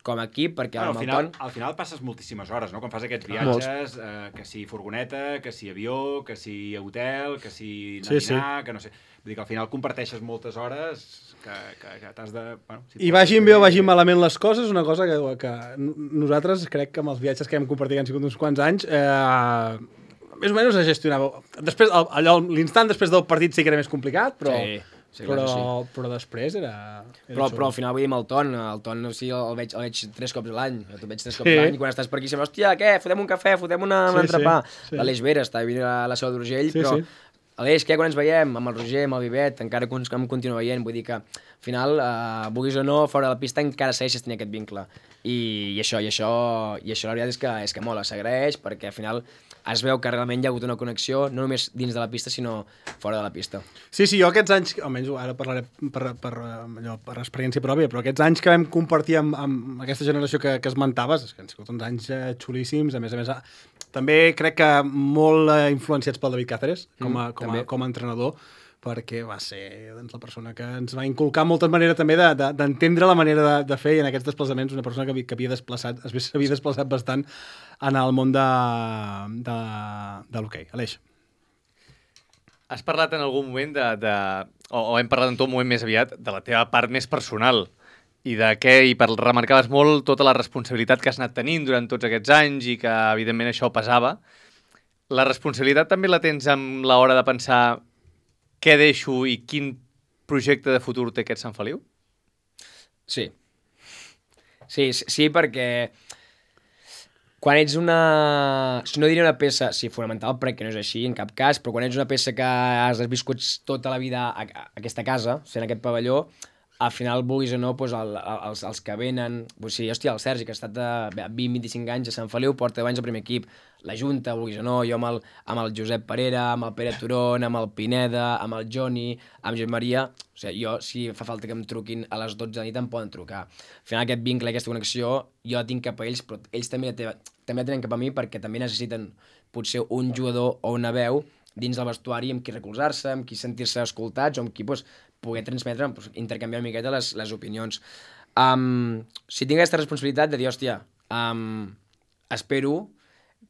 com a equip, perquè bueno, amb al, el final, Ton... al final passes moltíssimes hores, no? Quan fas aquests viatges, eh, que si furgoneta, que si avió, que si hotel, que si anar sí, a dinar, sí. que no sé... Vull dir que al final comparteixes moltes hores que, que, que t'has de... Bueno, si I vagin bé o vagin malament les coses, una cosa que, que nosaltres crec que amb els viatges que hem compartit han sigut uns quants anys, eh, més o menys es gestionava. Després, allò, l'instant després del partit sí que era més complicat, però, Sí, sí, clar però, que sí. però després era... era Però, xulo. però al final vull dir amb el Ton, el Ton o sigui, el, veig, el veig tres cops a l'any, el veig tres cops Sí. a l'any, i quan estàs per aquí sembla, hòstia, què, fotem un cafè, fotem una, un Sí, entrepà. sí, sí. L'Aleix Vera està vivint a la Seu d'Urgell, Sí, però sí. Aleix, què, quan ens veiem? Amb el Roger, amb el Vivet, encara que em continua veient, vull dir que al final, eh, vulguis o no, fora de la pista encara segueixes tenint aquest vincle. I, i això, i això, i això la veritat és que, és que mola, s'agraeix, perquè al final es veu que realment hi ha hagut una connexió, no només dins de la pista, sinó fora de la pista. Sí, sí, jo aquests anys, almenys ara parlaré per, per, allò, per experiència pròpia, però aquests anys que vam compartir amb, amb aquesta generació que, que esmentaves, és que han sigut uns anys eh, xulíssims, a més a més, eh, també crec que molt eh, influenciats pel David Cáceres, com a, Mm, com a, també. com a entrenador, perquè va ser doncs, la persona que ens va inculcar molta manera també d'entendre de, de, la manera de, de fer, i en aquests desplaçaments una persona que, havia- que havia desplaçat, s'havia desplaçat bastant en el món de, de, de l'hoquei. Aleix. Has parlat en algun moment de, de o, o hem parlat en tot moment més aviat de la teva part més personal i de què, i per remarcaves molt tota la responsabilitat que has anat tenint durant tots aquests anys i que evidentment això pesava. La responsabilitat també la tens amb l'hora de pensar què deixo i quin projecte de futur té aquest Sant Feliu? Sí. Sí, sí, sí, perquè quan ets una... No diré una peça, sí, fonamental, perquè no és així en cap cas, però quan ets una peça que has viscut tota la vida a, a aquesta casa, sent aquest pavelló, al final, vulguis o no, doncs el, els, els que venen... Doncs sí, hòstia, el Sergi, que ha estat de vint a vint-i-cinc anys a Sant Feliu, porta deu anys al primer equip. La Junta, vulguis o no, jo amb el, amb el Josep Parera, amb el Pere Turon, amb el Pineda, amb el Joni, amb Josep Maria... O sigui, jo, si fa falta que em truquin a les dotze de la nit, em poden trucar. Al final, aquest vincle, aquesta connexió, jo la tinc cap a ells, però ells també la, tenen, també la tenen cap a mi perquè també necessiten potser un jugador o una veu dins del vestuari amb qui recolzar-se, amb qui sentir-se escoltats o amb qui pues, poder transmetre, pues, intercanviar una miqueta les, les opinions. Um, si tinc aquesta responsabilitat de dir, hòstia, um, espero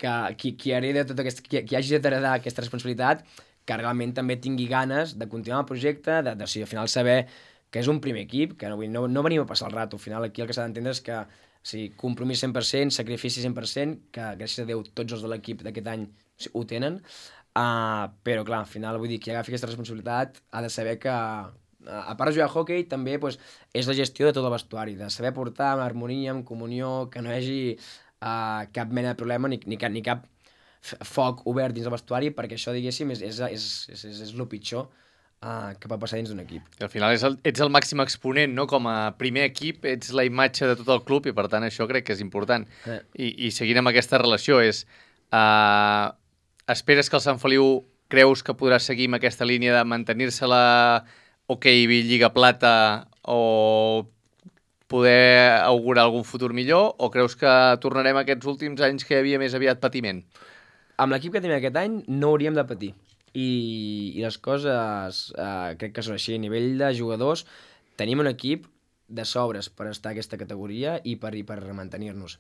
que qui, qui, hereda tot aquest, qui, qui hagi d'heredar aquesta responsabilitat que realment també tingui ganes de continuar el projecte, de, de, de si al final saber que és un primer equip, que no, no, no venim a passar el rato. Al final aquí el que s'ha d'entendre és que sí, compromís cent per cent, sacrifici cent per cent, que gràcies a Déu tots els de l'equip d'aquest any ho tenen, uh, però clar, al final vull dir, qui agafi aquesta responsabilitat ha de saber que, uh, a part de jugar a hoquei, també pues, és la gestió de tot el vestuari, de saber portar amb harmonia, amb comunió, que no hi hagi uh, cap mena de problema ni, ni, cap, ni cap foc obert dins del vestuari, perquè això, diguéssim, és, és, és, és, és, és el pitjor uh, que pot passar dins d'un equip. I al final és el, ets el màxim exponent, no? Com a primer equip ets la imatge de tot el club i per tant això crec que és important. Eh. I, i seguint amb aquesta relació és uh, esperes que el Sant Feliu creus que podrà seguir amb aquesta línia de mantenir-se la OK Lliga Plata o poder augurar algun futur millor, o creus que tornarem a aquests últims anys que hi havia més aviat patiment? Amb l'equip que tenim aquest any no hauríem de patir. I, i les coses eh, crec que són així. A nivell de jugadors tenim un equip de sobres per estar a aquesta categoria i per, i per mantenir-nos.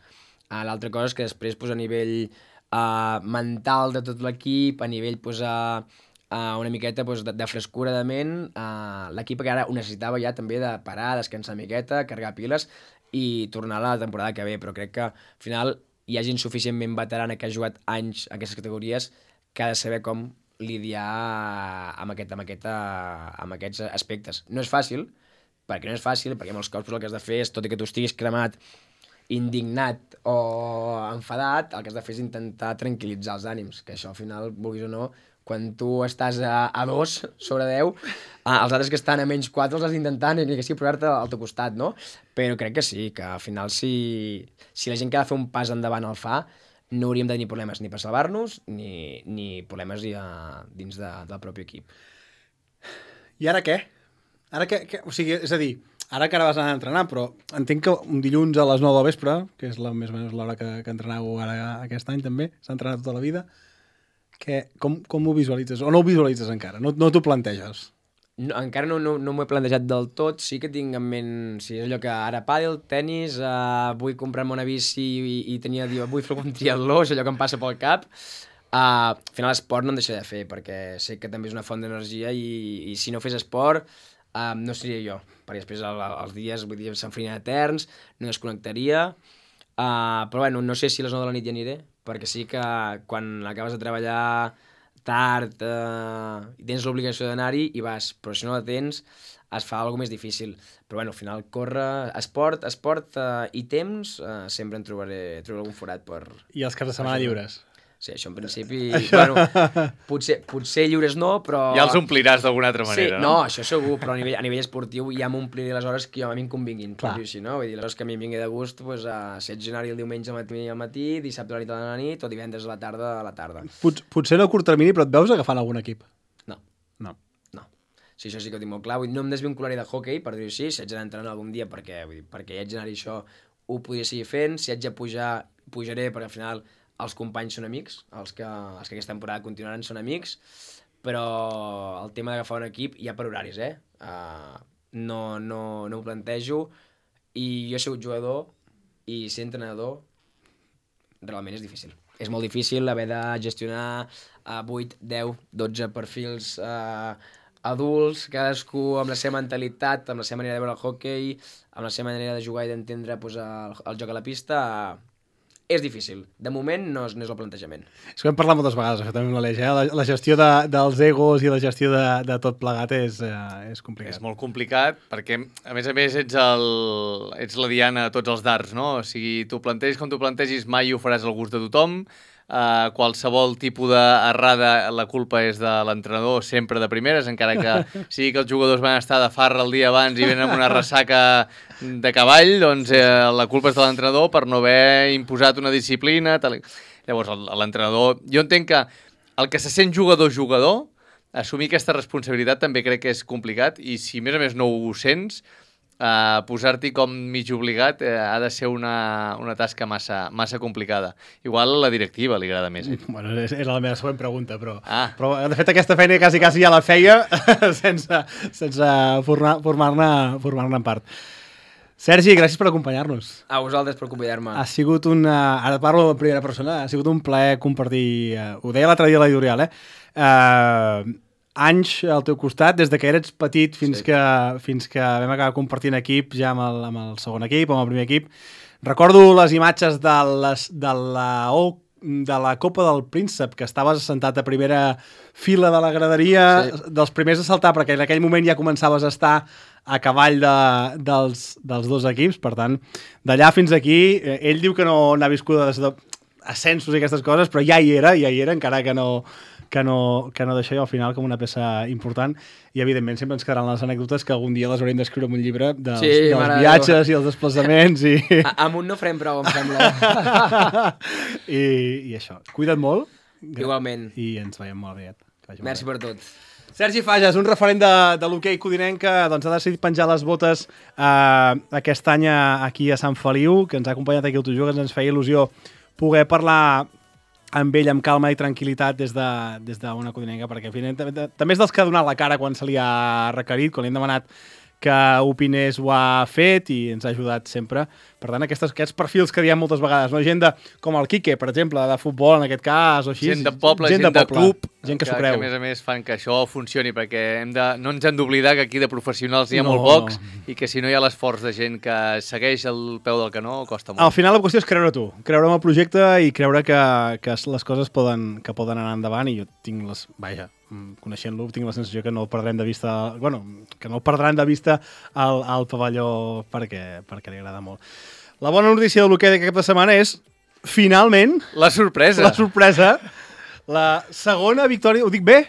Uh, L'altra cosa és que després pues, a nivell uh, mental de tot l'equip, a nivell pues, uh, uh, una miqueta pues, de, de frescura de ment, uh, l'equip que ara ho necessitava ja també de parar, descansar una miqueta, carregar piles i tornar a la temporada que ve, però crec que al final hi ha gent suficientment veterana que ha jugat anys a aquestes categories que ha de saber com lidiar amb, aquest, amb, aquest, amb aquests aspectes. No és fàcil, perquè no és fàcil, perquè molts cops el que has de fer és, tot i que tu estiguis cremat, indignat o enfadat, el que has de fer és intentar tranquil·litzar els ànims, que això al final, vulguis o no, quan tu estàs a, a dos sobre deu, eh, els altres que estan a menys quatre els has d'intentar ni que sigui posar-te al teu costat, no? Però crec que sí, que al final si, si la gent que ha de fer un pas endavant el fa, no hauríem de tenir problemes ni per salvar-nos ni, ni problemes ja dins de, del propi equip. I ara què? Ara què, què? O sigui, és a dir, ara que ara vas anar a entrenar, però entenc que un dilluns a les nou del vespre, que és la, més o menys l'hora que, que entreneu ara aquest any també, s'ha entrenat tota la vida, que, com, com ho visualitzes? O no ho visualitzes encara? No, no t'ho planteges? No, encara no, no, no m'ho he plantejat del tot, sí que tinc en ment, si és allò que ara pàdel, tennis, uh, vull comprar-me una bici i, i tenia, diu, vull fer un triatló, és allò que em passa pel cap. Uh, al final l'esport no em deixaré de fer, perquè sé que també és una font d'energia i, i si no fes esport uh, no seria jo, perquè després el, els dies, vull dir, s'enfarien eterns, no desconnectaria, uh, però bueno, no sé si a les nou de la nit ja aniré, perquè sí que quan acabes de treballar tard eh, i tens l'obligació d'anar-hi i vas, però si no la tens es fa alguna més difícil. Però bueno, al final córrer, esport, esport eh, i temps, eh, sempre en trobaré, trobaré algun forat per... I els caps de setmana lliures? Sí, això en principi... Bueno, potser, potser lliures no, però... Ja els ompliràs d'alguna altra manera, sí, no? No, això segur, però a nivell, a nivell esportiu ja m'ompliré les hores que a mi em convinguin. Clar. Així, no? Vull dir, les hores que a mi em vingui de gust, doncs, a set anar-hi el diumenge al matí, al matí, dissabte a la nit a la nit, o divendres a la tarda a la tarda. Pot, potser no a curt termini, però et veus agafant algun equip? No. No. No. Sí, això sí que ho tinc molt clar. Vull dir, no em desvincularé de hockey, per dir-ho així, si haig d'anar entrenant algun dia, perquè, vull dir, perquè hi haig d'anar-hi això, ho podria seguir fent, si haig de pujar, pujaré, perquè al final els companys són amics, els que, els que aquesta temporada continuaran són amics, però el tema d'agafar un equip hi ha per horaris, eh? Uh, no, no, no ho plantejo, i jo he sigut jugador, i ser entrenador realment és difícil. És molt difícil haver de gestionar uh, vuit, deu, dotze perfils uh, adults, cadascú amb la seva mentalitat, amb la seva manera de veure el hockey, amb la seva manera de jugar i d'entendre pues, el, el joc a la pista. Uh, És difícil. De moment no és, no és el plantejament. És que hem parlat moltes vegades, això també amb l'Aleix, eh? la, la gestió de, dels egos i la gestió de, de tot plegat és, eh, és complicat. És molt complicat perquè, a més a més, ets, el, ets la diana de tots els dards, no? O sigui, tu plantegis com tu plantegis, mai ho faràs al gust de tothom. Uh, qualsevol tipus d'errada, la culpa és de l'entrenador, sempre de primeres, encara que sigui que els jugadors van estar de farra el dia abans i venen amb una ressaca de cavall, doncs eh, la culpa és de l'entrenador per no haver imposat una disciplina. Tal. Llavors, l'entrenador... Jo entenc que el que se sent jugador-jugador, assumir aquesta responsabilitat també crec que és complicat, i si a més a més no ho sents, Uh, posar-t'hi com mig obligat uh, ha de ser una, una tasca massa, massa complicada. Igual a la directiva li agrada més. Eh? Bueno, era la meva següent pregunta, però, ah. però de fet aquesta feina quasi, quasi ja la feia sense, sense formar-ne formar en part. Sergi, gràcies per acompanyar-nos. A vosaltres per convidar-me. Ha sigut una... Ara parlo en primera persona. Ha sigut un plaer compartir... Uh, ho deia l'altre dia a l'editorial, eh? Uh, anys al teu costat, des de que eres petit fins, sí. que, fins que vam acabar compartint equip ja amb el, amb el segon equip, amb el primer equip. Recordo les imatges de, les, de, la, de la Copa del Príncep, que estaves assentat a primera fila de la graderia, sí. dels primers a saltar, perquè en aquell moment ja començaves a estar a cavall de, dels, dels dos equips. Per tant, d'allà fins aquí, ell diu que no n'ha viscut ascensos i aquestes coses, però ja hi era, ja hi era, encara que no... que no, que no deixa jo al final com una peça important, i evidentment sempre ens quedaran les anècdotes que algun dia les haurem d'escriure en un llibre dels, sí, dels viatges Déu. I els desplaçaments i... A, amb un no farem prou, em sembla. I, i això, cuida't molt. Igualment. I ens veiem molt aviat. Vagi Merci molt per bé. tot. Sergi Fages, un referent de, de l'hoquei codinenc que doncs, ha decidit penjar les botes eh, aquest any aquí a Sant Feliu, que ens ha acompanyat aquí al Tu Jugues. Ens feia il·lusió poder parlar amb ell amb calma i tranquil·litat des d'una de, des d'una codinenca, perquè també, també és dels que ha donat la cara quan se li ha requerit, quan li hem demanat que opinés ho ha fet i ens ha ajudat sempre. Per tant, aquestes, aquests perfils que diem moltes vegades, no? Gent de, com el Quique, per exemple, de futbol en aquest cas, o així. Gent de poble, gent, gent de, de club, gent que, que s'ho creu. Que a més a més fan que això funcioni, perquè hem de, no ens hem d'oblidar que aquí de professionals n'hi ha No. molt pocs i que si no hi ha l'esforç de gent que segueix el peu del canó, costa molt. Al final la qüestió és creure tu, creure en el projecte i creure que, que les coses poden, que poden anar endavant, i jo tinc les... Vaja, coneixent-lo, tinc la sensació que no el perdrem de vista... Bueno, que no el perdran de vista al, al pavelló perquè, perquè li agrada molt. La bona notícia de l'hoquei d'aquesta setmana és, finalment... La sorpresa. La sorpresa. La segona victòria... Ho dic bé?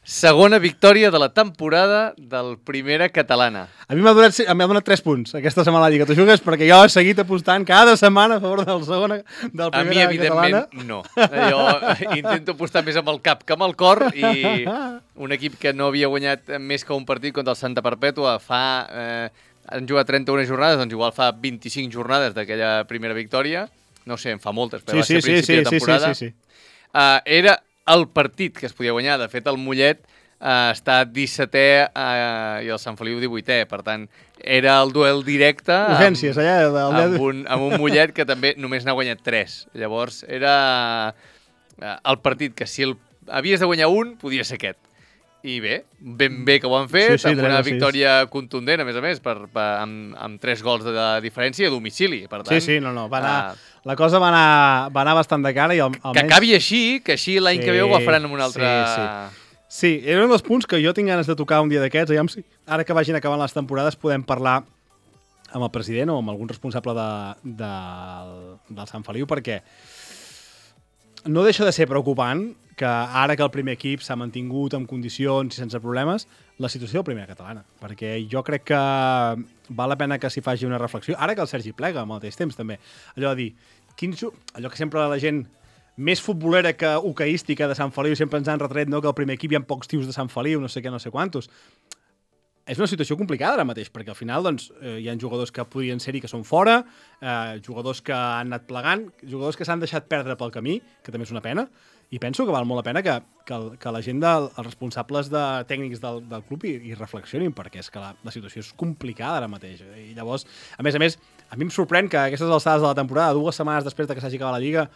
Segona victòria de la temporada del Primera Catalana. A mi m'ha donat, m'ha donat tres punts aquesta setmana a la Lliga Tu Jugues, perquè jo he seguit apostant cada setmana a favor del segona, del A mi, Primera evidentment, Catalana. no. Jo intento apostar més amb el cap que amb el cor, i un equip que no havia guanyat més que un partit contra el Santa Perpètua fa... Eh, han jugat trenta-una jornades, doncs igual fa vint-i-cinc jornades d'aquella primera victòria. No sé, en fa moltes, però Sí, va ser sí, a principi sí, de sí, temporada. sí, sí, sí. Uh, era el partit que es podia guanyar. De fet, el Mollet uh, està dissetè uh, i el Sant Feliu divuitè. Per tant, era el duel directe amb, Urgències, allà. amb, un, amb un Mollet que també només n'ha guanyat tres. Llavors, era uh, el partit que si el, havies de guanyar un, podia ser aquest. I bé, ben bé que ho han fet, Sí, sí, amb una sí. victòria contundent, a més a més, per, per, amb, amb tres gols de, de diferència a domicili. Per tant, Sí, sí, no, no, va anar... uh, La cosa va anar, va anar bastant de cara i al, almenys... que acabi així, que així l'any Sí, que ve ho agafaran amb un altre... sí, sí. Sí, era un dels punts que jo tinc ganes de tocar un dia d'aquests. Aviam si ara que vagin acabant les temporades podem parlar amb el president o amb algun responsable de, de, del Sant Feliu, perquè no deixa de ser preocupant que ara que el primer equip s'ha mantingut en condicions i sense problemes, la situació del Primera Catalana. Perquè jo crec que val la pena que s'hi faci una reflexió. Ara que el Sergi plega al mateix temps, també. Allò de dir, quins, allò que sempre la gent més futbolera que hoqueística de Sant Feliu sempre ens han retret, no?, que al primer equip hi ha pocs tios de Sant Feliu, no sé què, no sé quantos. És una situació complicada ara mateix, perquè al final doncs, eh, hi ha jugadors que podrien ser-hi que són fora, eh, jugadors que han anat plegant, jugadors que s'han deixat perdre pel camí, que també és una pena, i penso que val molt la pena que, que, el, que la gent, del, els responsables de tècnics del, del club hi, hi reflexionin, perquè és que la, la situació és complicada ara mateix. I llavors, a més a més, a mi em sorprèn que a aquestes alçades de la temporada, dues setmanes després de que s'hagi acabat la Lliga,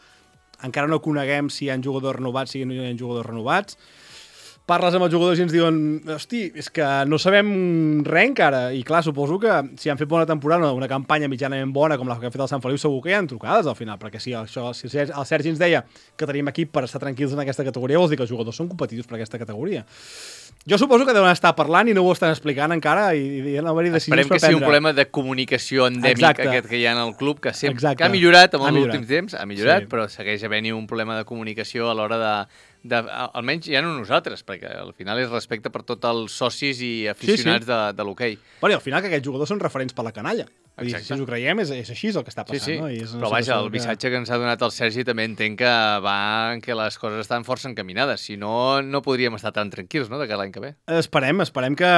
encara no coneguem si hi ha jugadors renovats, si no hi ha jugadors renovats. Parles amb els jugadors i ens diuen, hosti, és que no sabem res encara. I clar, suposo que si han fet bona temporada, una campanya mitjanament bona com la que ha fet el Sant Feliu, segur que hi ha trucades al final, perquè si, això, si el Sergi ens deia que tenim equip per estar tranquils en aquesta categoria, vols dir que els jugadors són competitius per aquesta categoria. Jo suposo que deuen estar parlant i no ho estan explicant encara i, i no haver-hi decisions Esperem per que sigui un prendre. problema de comunicació endèmic, Exacte. aquest que hi ha en el club, que, sempre, Exacte. que ha millorat en Ha els millorat. últims temps, ha millorat, Sí. però segueix havent-hi un problema de comunicació a l'hora de, de... Almenys ja no nosaltres, perquè al final és respecte per tots els socis i aficionats Sí, sí. de, de l'hoquei. Bueno, i al final que aquests jugadors són referents per la canalla. Vull dir, Exacte. si ens ho creiem, és, és així el que està Sí, passant. sí, No? I és una però vaja, situació el missatge que ens ha donat el Sergi també entenc que va en què les coses estan força encaminades. Si no, no podríem estar tan tranquils, no?, de cada l'any que ve. Esperem, esperem que,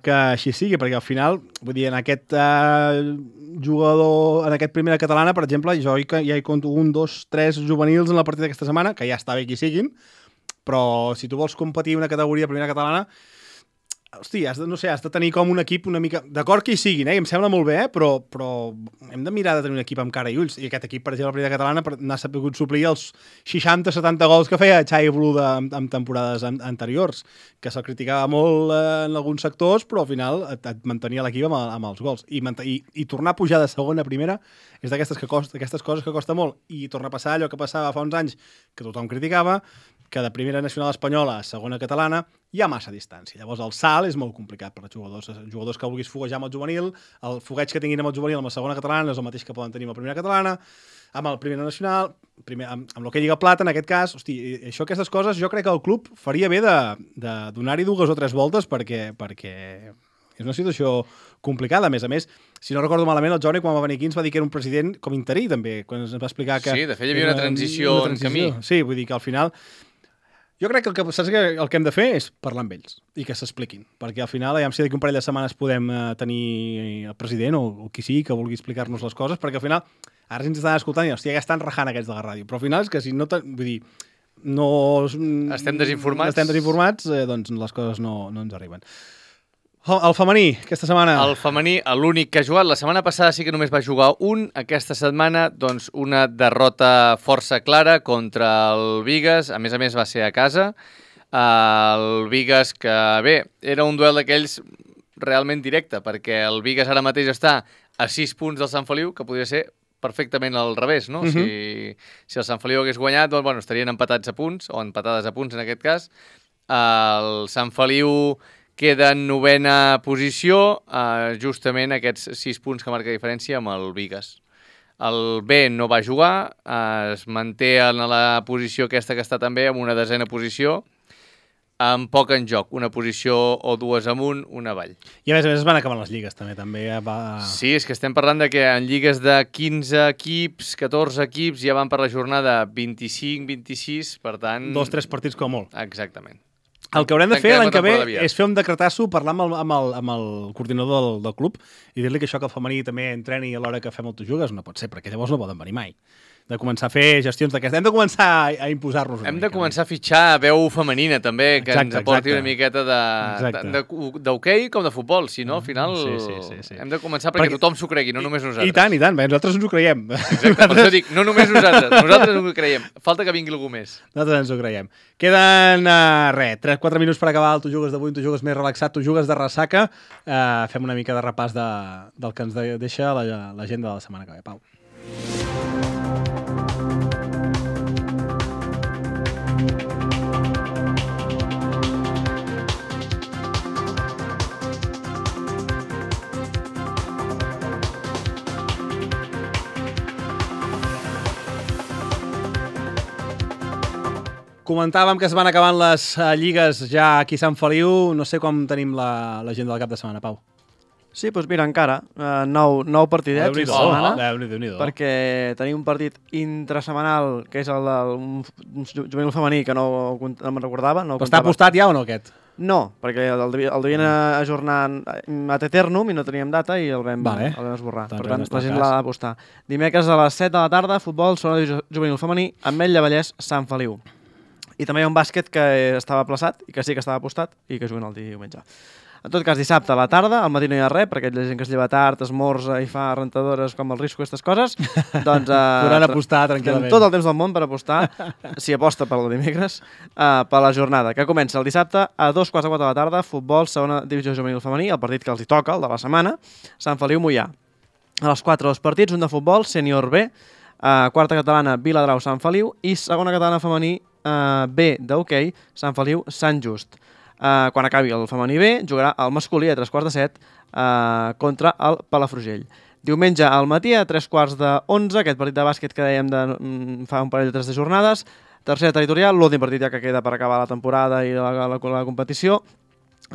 que així sigui, perquè al final, vull dir, en aquest uh, jugador, en aquest Primera Catalana, per exemple, jo hi, ja hi conto un, dos, tres juvenils en la partida d'aquesta setmana, que ja està bé qui siguin, però si tu vols competir una categoria Primera Catalana, hosti, has de, no sé, has de tenir com un equip una mica... D'acord que hi siguin, eh? Em sembla molt bé, eh? però, però hem de mirar de tenir un equip amb cara i ulls. I aquest equip, per exemple, la Primera Catalana, n'ha sabut suplir els seixanta setanta gols que feia Xavi Bluda en, en temporades an anteriors, que se'l criticava molt eh, en alguns sectors, però al final et, et mantenia l'equip amb, amb els gols. I, i, I tornar a pujar de segona a primera és d'aquestes que costa, aquestes coses que costa molt. I tornar a passar allò que passava fa uns anys, que tothom criticava, que de primera nacional espanyola a segona catalana hi ha massa distància. Llavors el salt és molt complicat per als jugadors. Els jugadors que vulguis foguejar amb el juvenil, el fogueig que tinguin amb el juvenil amb la segona catalana no és el mateix que poden tenir amb la primera catalana, amb el primera nacional, primer, amb, amb l'hoquei Lliga Plata, en aquest cas. Hosti, això, aquestes coses, jo crec que el club faria bé de, de donar-hi dues o tres voltes perquè, perquè és una situació complicada. A més a més, si no recordo malament, el Jaume, quan va venir aquí, ens va dir que era un president com interí, també, quan ens va explicar que... Sí, de fet, hi havia una transició, una transició en camí. Sí, vull dir que al final Jo crec que el que, saps que el que hem de fer és parlar amb ells i que s'expliquin, perquè al final, ja si d'aquí un parell de setmanes podem eh, tenir el president o, o qui sigui que vulgui explicar-nos les coses, perquè al final, ara ens estan escoltant i, hòstia, ja estan rajant aquests de la ràdio, però al final és que si no... Vull dir, no... Estem desinformats. Estem desinformats, eh, doncs les coses no, no ens arriben. El femení, aquesta setmana... El femení, l'únic que ha jugat. La setmana passada sí que només va jugar un. Aquesta setmana, doncs, una derrota força clara contra el Bigues. A més a més, va ser a casa. El Bigues, que bé, era un duel d'aquells realment directe, perquè el Bigues ara mateix està a sis punts del Sant Feliu, que podria ser perfectament al revés, no? Uh -huh. si, si el Sant Feliu hagués guanyat, doncs, bueno, estarien empatats a punts, o empatades a punts en aquest cas. El Sant Feliu queda en novena posició, eh, justament aquests sis punts que marca diferència amb el Bigues. El B no va jugar, eh, es manté en la posició aquesta que està també, amb una desena posició, amb poc en joc, una posició o dues amunt, una avall. I a més a més es van acabant les lligues també, també va... Sí, és que estem parlant de que en lligues de quinze equips, catorze equips, ja van per la jornada vint-i-cinc vint-i-sis, per tant... Dos, tres partits com molt. Exactament. El que haurem de fer l'any que ve és fer un decretasso, parlar amb el, amb el, amb el coordinador del, del club i dir-li que això que el femení també entreni a l'hora que fem el Tu Jugues no pot ser, perquè llavors no poden venir mai. De començar a fer gestions d'aquestes. Hem de començar a, a imposar-nos una Hem mica. de començar a fitxar veu femenina, també, que exacte, ens aporti exacte. una miqueta d'hoquei com de futbol. Si no, al final Sí, sí, sí, sí. hem de començar perquè, perquè tothom s'ho cregui, no només nosaltres. I tant, i tant, bé, nosaltres ens ho creiem. Exacte, per això dic, no només nosaltres, nosaltres ens ho creiem. Falta que vingui algú més. Nosaltres ens ho creiem. Queden, uh, res, tres quatre minuts per acabar el Tu Jugues d'avui, un Tu Jugues més relaxat, Tu Jugues de ressaca. Uh, fem una mica de repàs de, del que ens de, deixa l'agenda de la setmana que ve. Pau. Comentàvem que es van acabant les uh, lligues ja aquí a Sant Feliu. No sé com tenim l'agenda la, del cap de setmana, Pau. Sí, doncs mira, encara. Uh, nou, nou partidets Déu-n'hi-do, aquesta setmana. Déu-n'hi-do, Déu-n'hi-do. Perquè tenim un partit intrasemanal, que és el del un, un juvenil femení, que no, no me'n recordava. No Però està apostat ja o no, aquest? No, perquè el, el, el devien ajornar ad eternum i no teníem data i el vam, vale. el vam esborrar. Doncs per tant, no la gent l'ha d'apostar. Dimecres a les set de la tarda, futbol, segona divisió juvenil femení, Ametlla Vallès, Sant Feliu. I també hi ha un bàsquet que estava aplaçat i que sí que estava apostat i que juguen el diumenge. En tot cas, dissabte a la tarda, al matí no hi ha res, perquè aquella gent que es lleva tard, esmorza i fa rentadores com el risco, aquestes coses, doncs... Eh, podran apostar tranquil·lament. Tot el temps del món per apostar, si aposta per el dimecres, eh, per la jornada, que comença el dissabte a dos quarts de quatre de la tarda, futbol, segona divisió juvenil femení, el partit que els hi toca, el de la setmana, Sant Feliu Moià. A les quatre dos partits, un de futbol, sènior B, eh, quarta catalana, Viladrau, Sant Feliu, i segona catalana femení, Uh, B d'hoquei, Sant Feliu, Sant Just. Uh, quan acabi el femení B, jugarà el masculí a tres quarts de set uh, contra el Palafrugell. Diumenge al matí a tres quarts d'onze, aquest partit de bàsquet que dèiem de, mm, fa un parell de tres de jornades. Tercera territorial, l'últim partit ja que queda per acabar la temporada i la, la, la, la competició.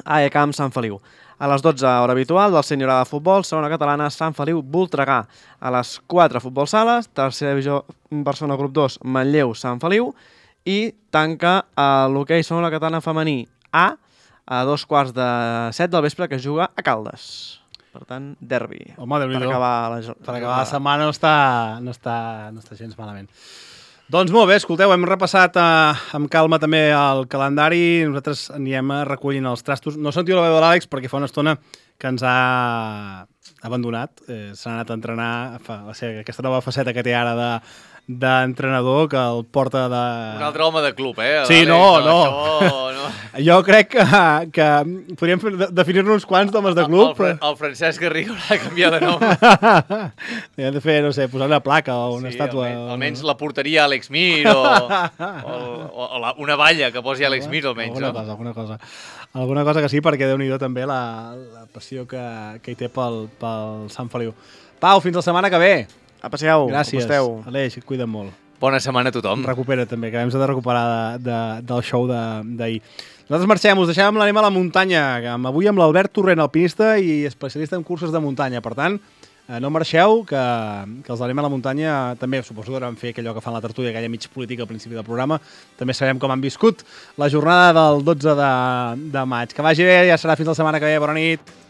A E Camp, Sant Feliu. A les dotze, hora habitual, del Sènior A de futbol, segona catalana, Sant Feliu, Voltregà. A les quatre, futbol sales, tercera divisió, Barcelona, grup dos, Manlleu, Sant Feliu. I tanca l'hoquei segona catalana femení A a dos quarts de set del vespre, que es juga a Caldes. Per tant, derbi. Home, Déu-n'hi-do. Per acabar la, per acabar la setmana no està, no, està, no està gens malament. Doncs molt bé, escolteu, hem repassat eh, amb calma també el calendari. Nosaltres anirem recollint els trastos. No sentiu la veu de l'Àlex perquè fa una estona que ens ha abandonat. Eh, S'ha anat a entrenar, fa, o sigui, aquesta nova faceta que té ara de d'entrenador que el porta de... Un altre home de club, eh? Sí, no, no. Això, no. Jo crec que, que podríem definir-ne uns quants d'homes de club. El, el, el Francesc Garriga haurà de canviar de nom. Hem de fer, no sé, posar una placa o una sí, estàtua. Almenys, almenys la portaria Àlex Mir o, o, o, o la, una valla que posi Àlex Mir, almenys. Alguna no? cosa, alguna cosa. Alguna cosa que sí, perquè Déu-n'hi-do també la, la passió que, que hi té pel, pel Sant Feliu. Pau, fins la setmana que ve. Aprecieu, Gràcies. aposteu. Aleix, et cuida't molt. Bona setmana a tothom. Recupera també, que hem de recuperar de, de, del show d'ahir. Nosaltres marxem, us deixem l'anem a la muntanya, amb, avui amb l'Albert Torrent, alpinista i especialista en curses de muntanya. Per tant, Eh, no marxeu, que, que els d'Anem a la muntanya també suposo que van fer allò que fan la tertúlia, aquella mig política al principi del programa. També sabem com han viscut la jornada del dotze de, de maig. Que vagi bé, ja serà fins la setmana que ve. Bona nit.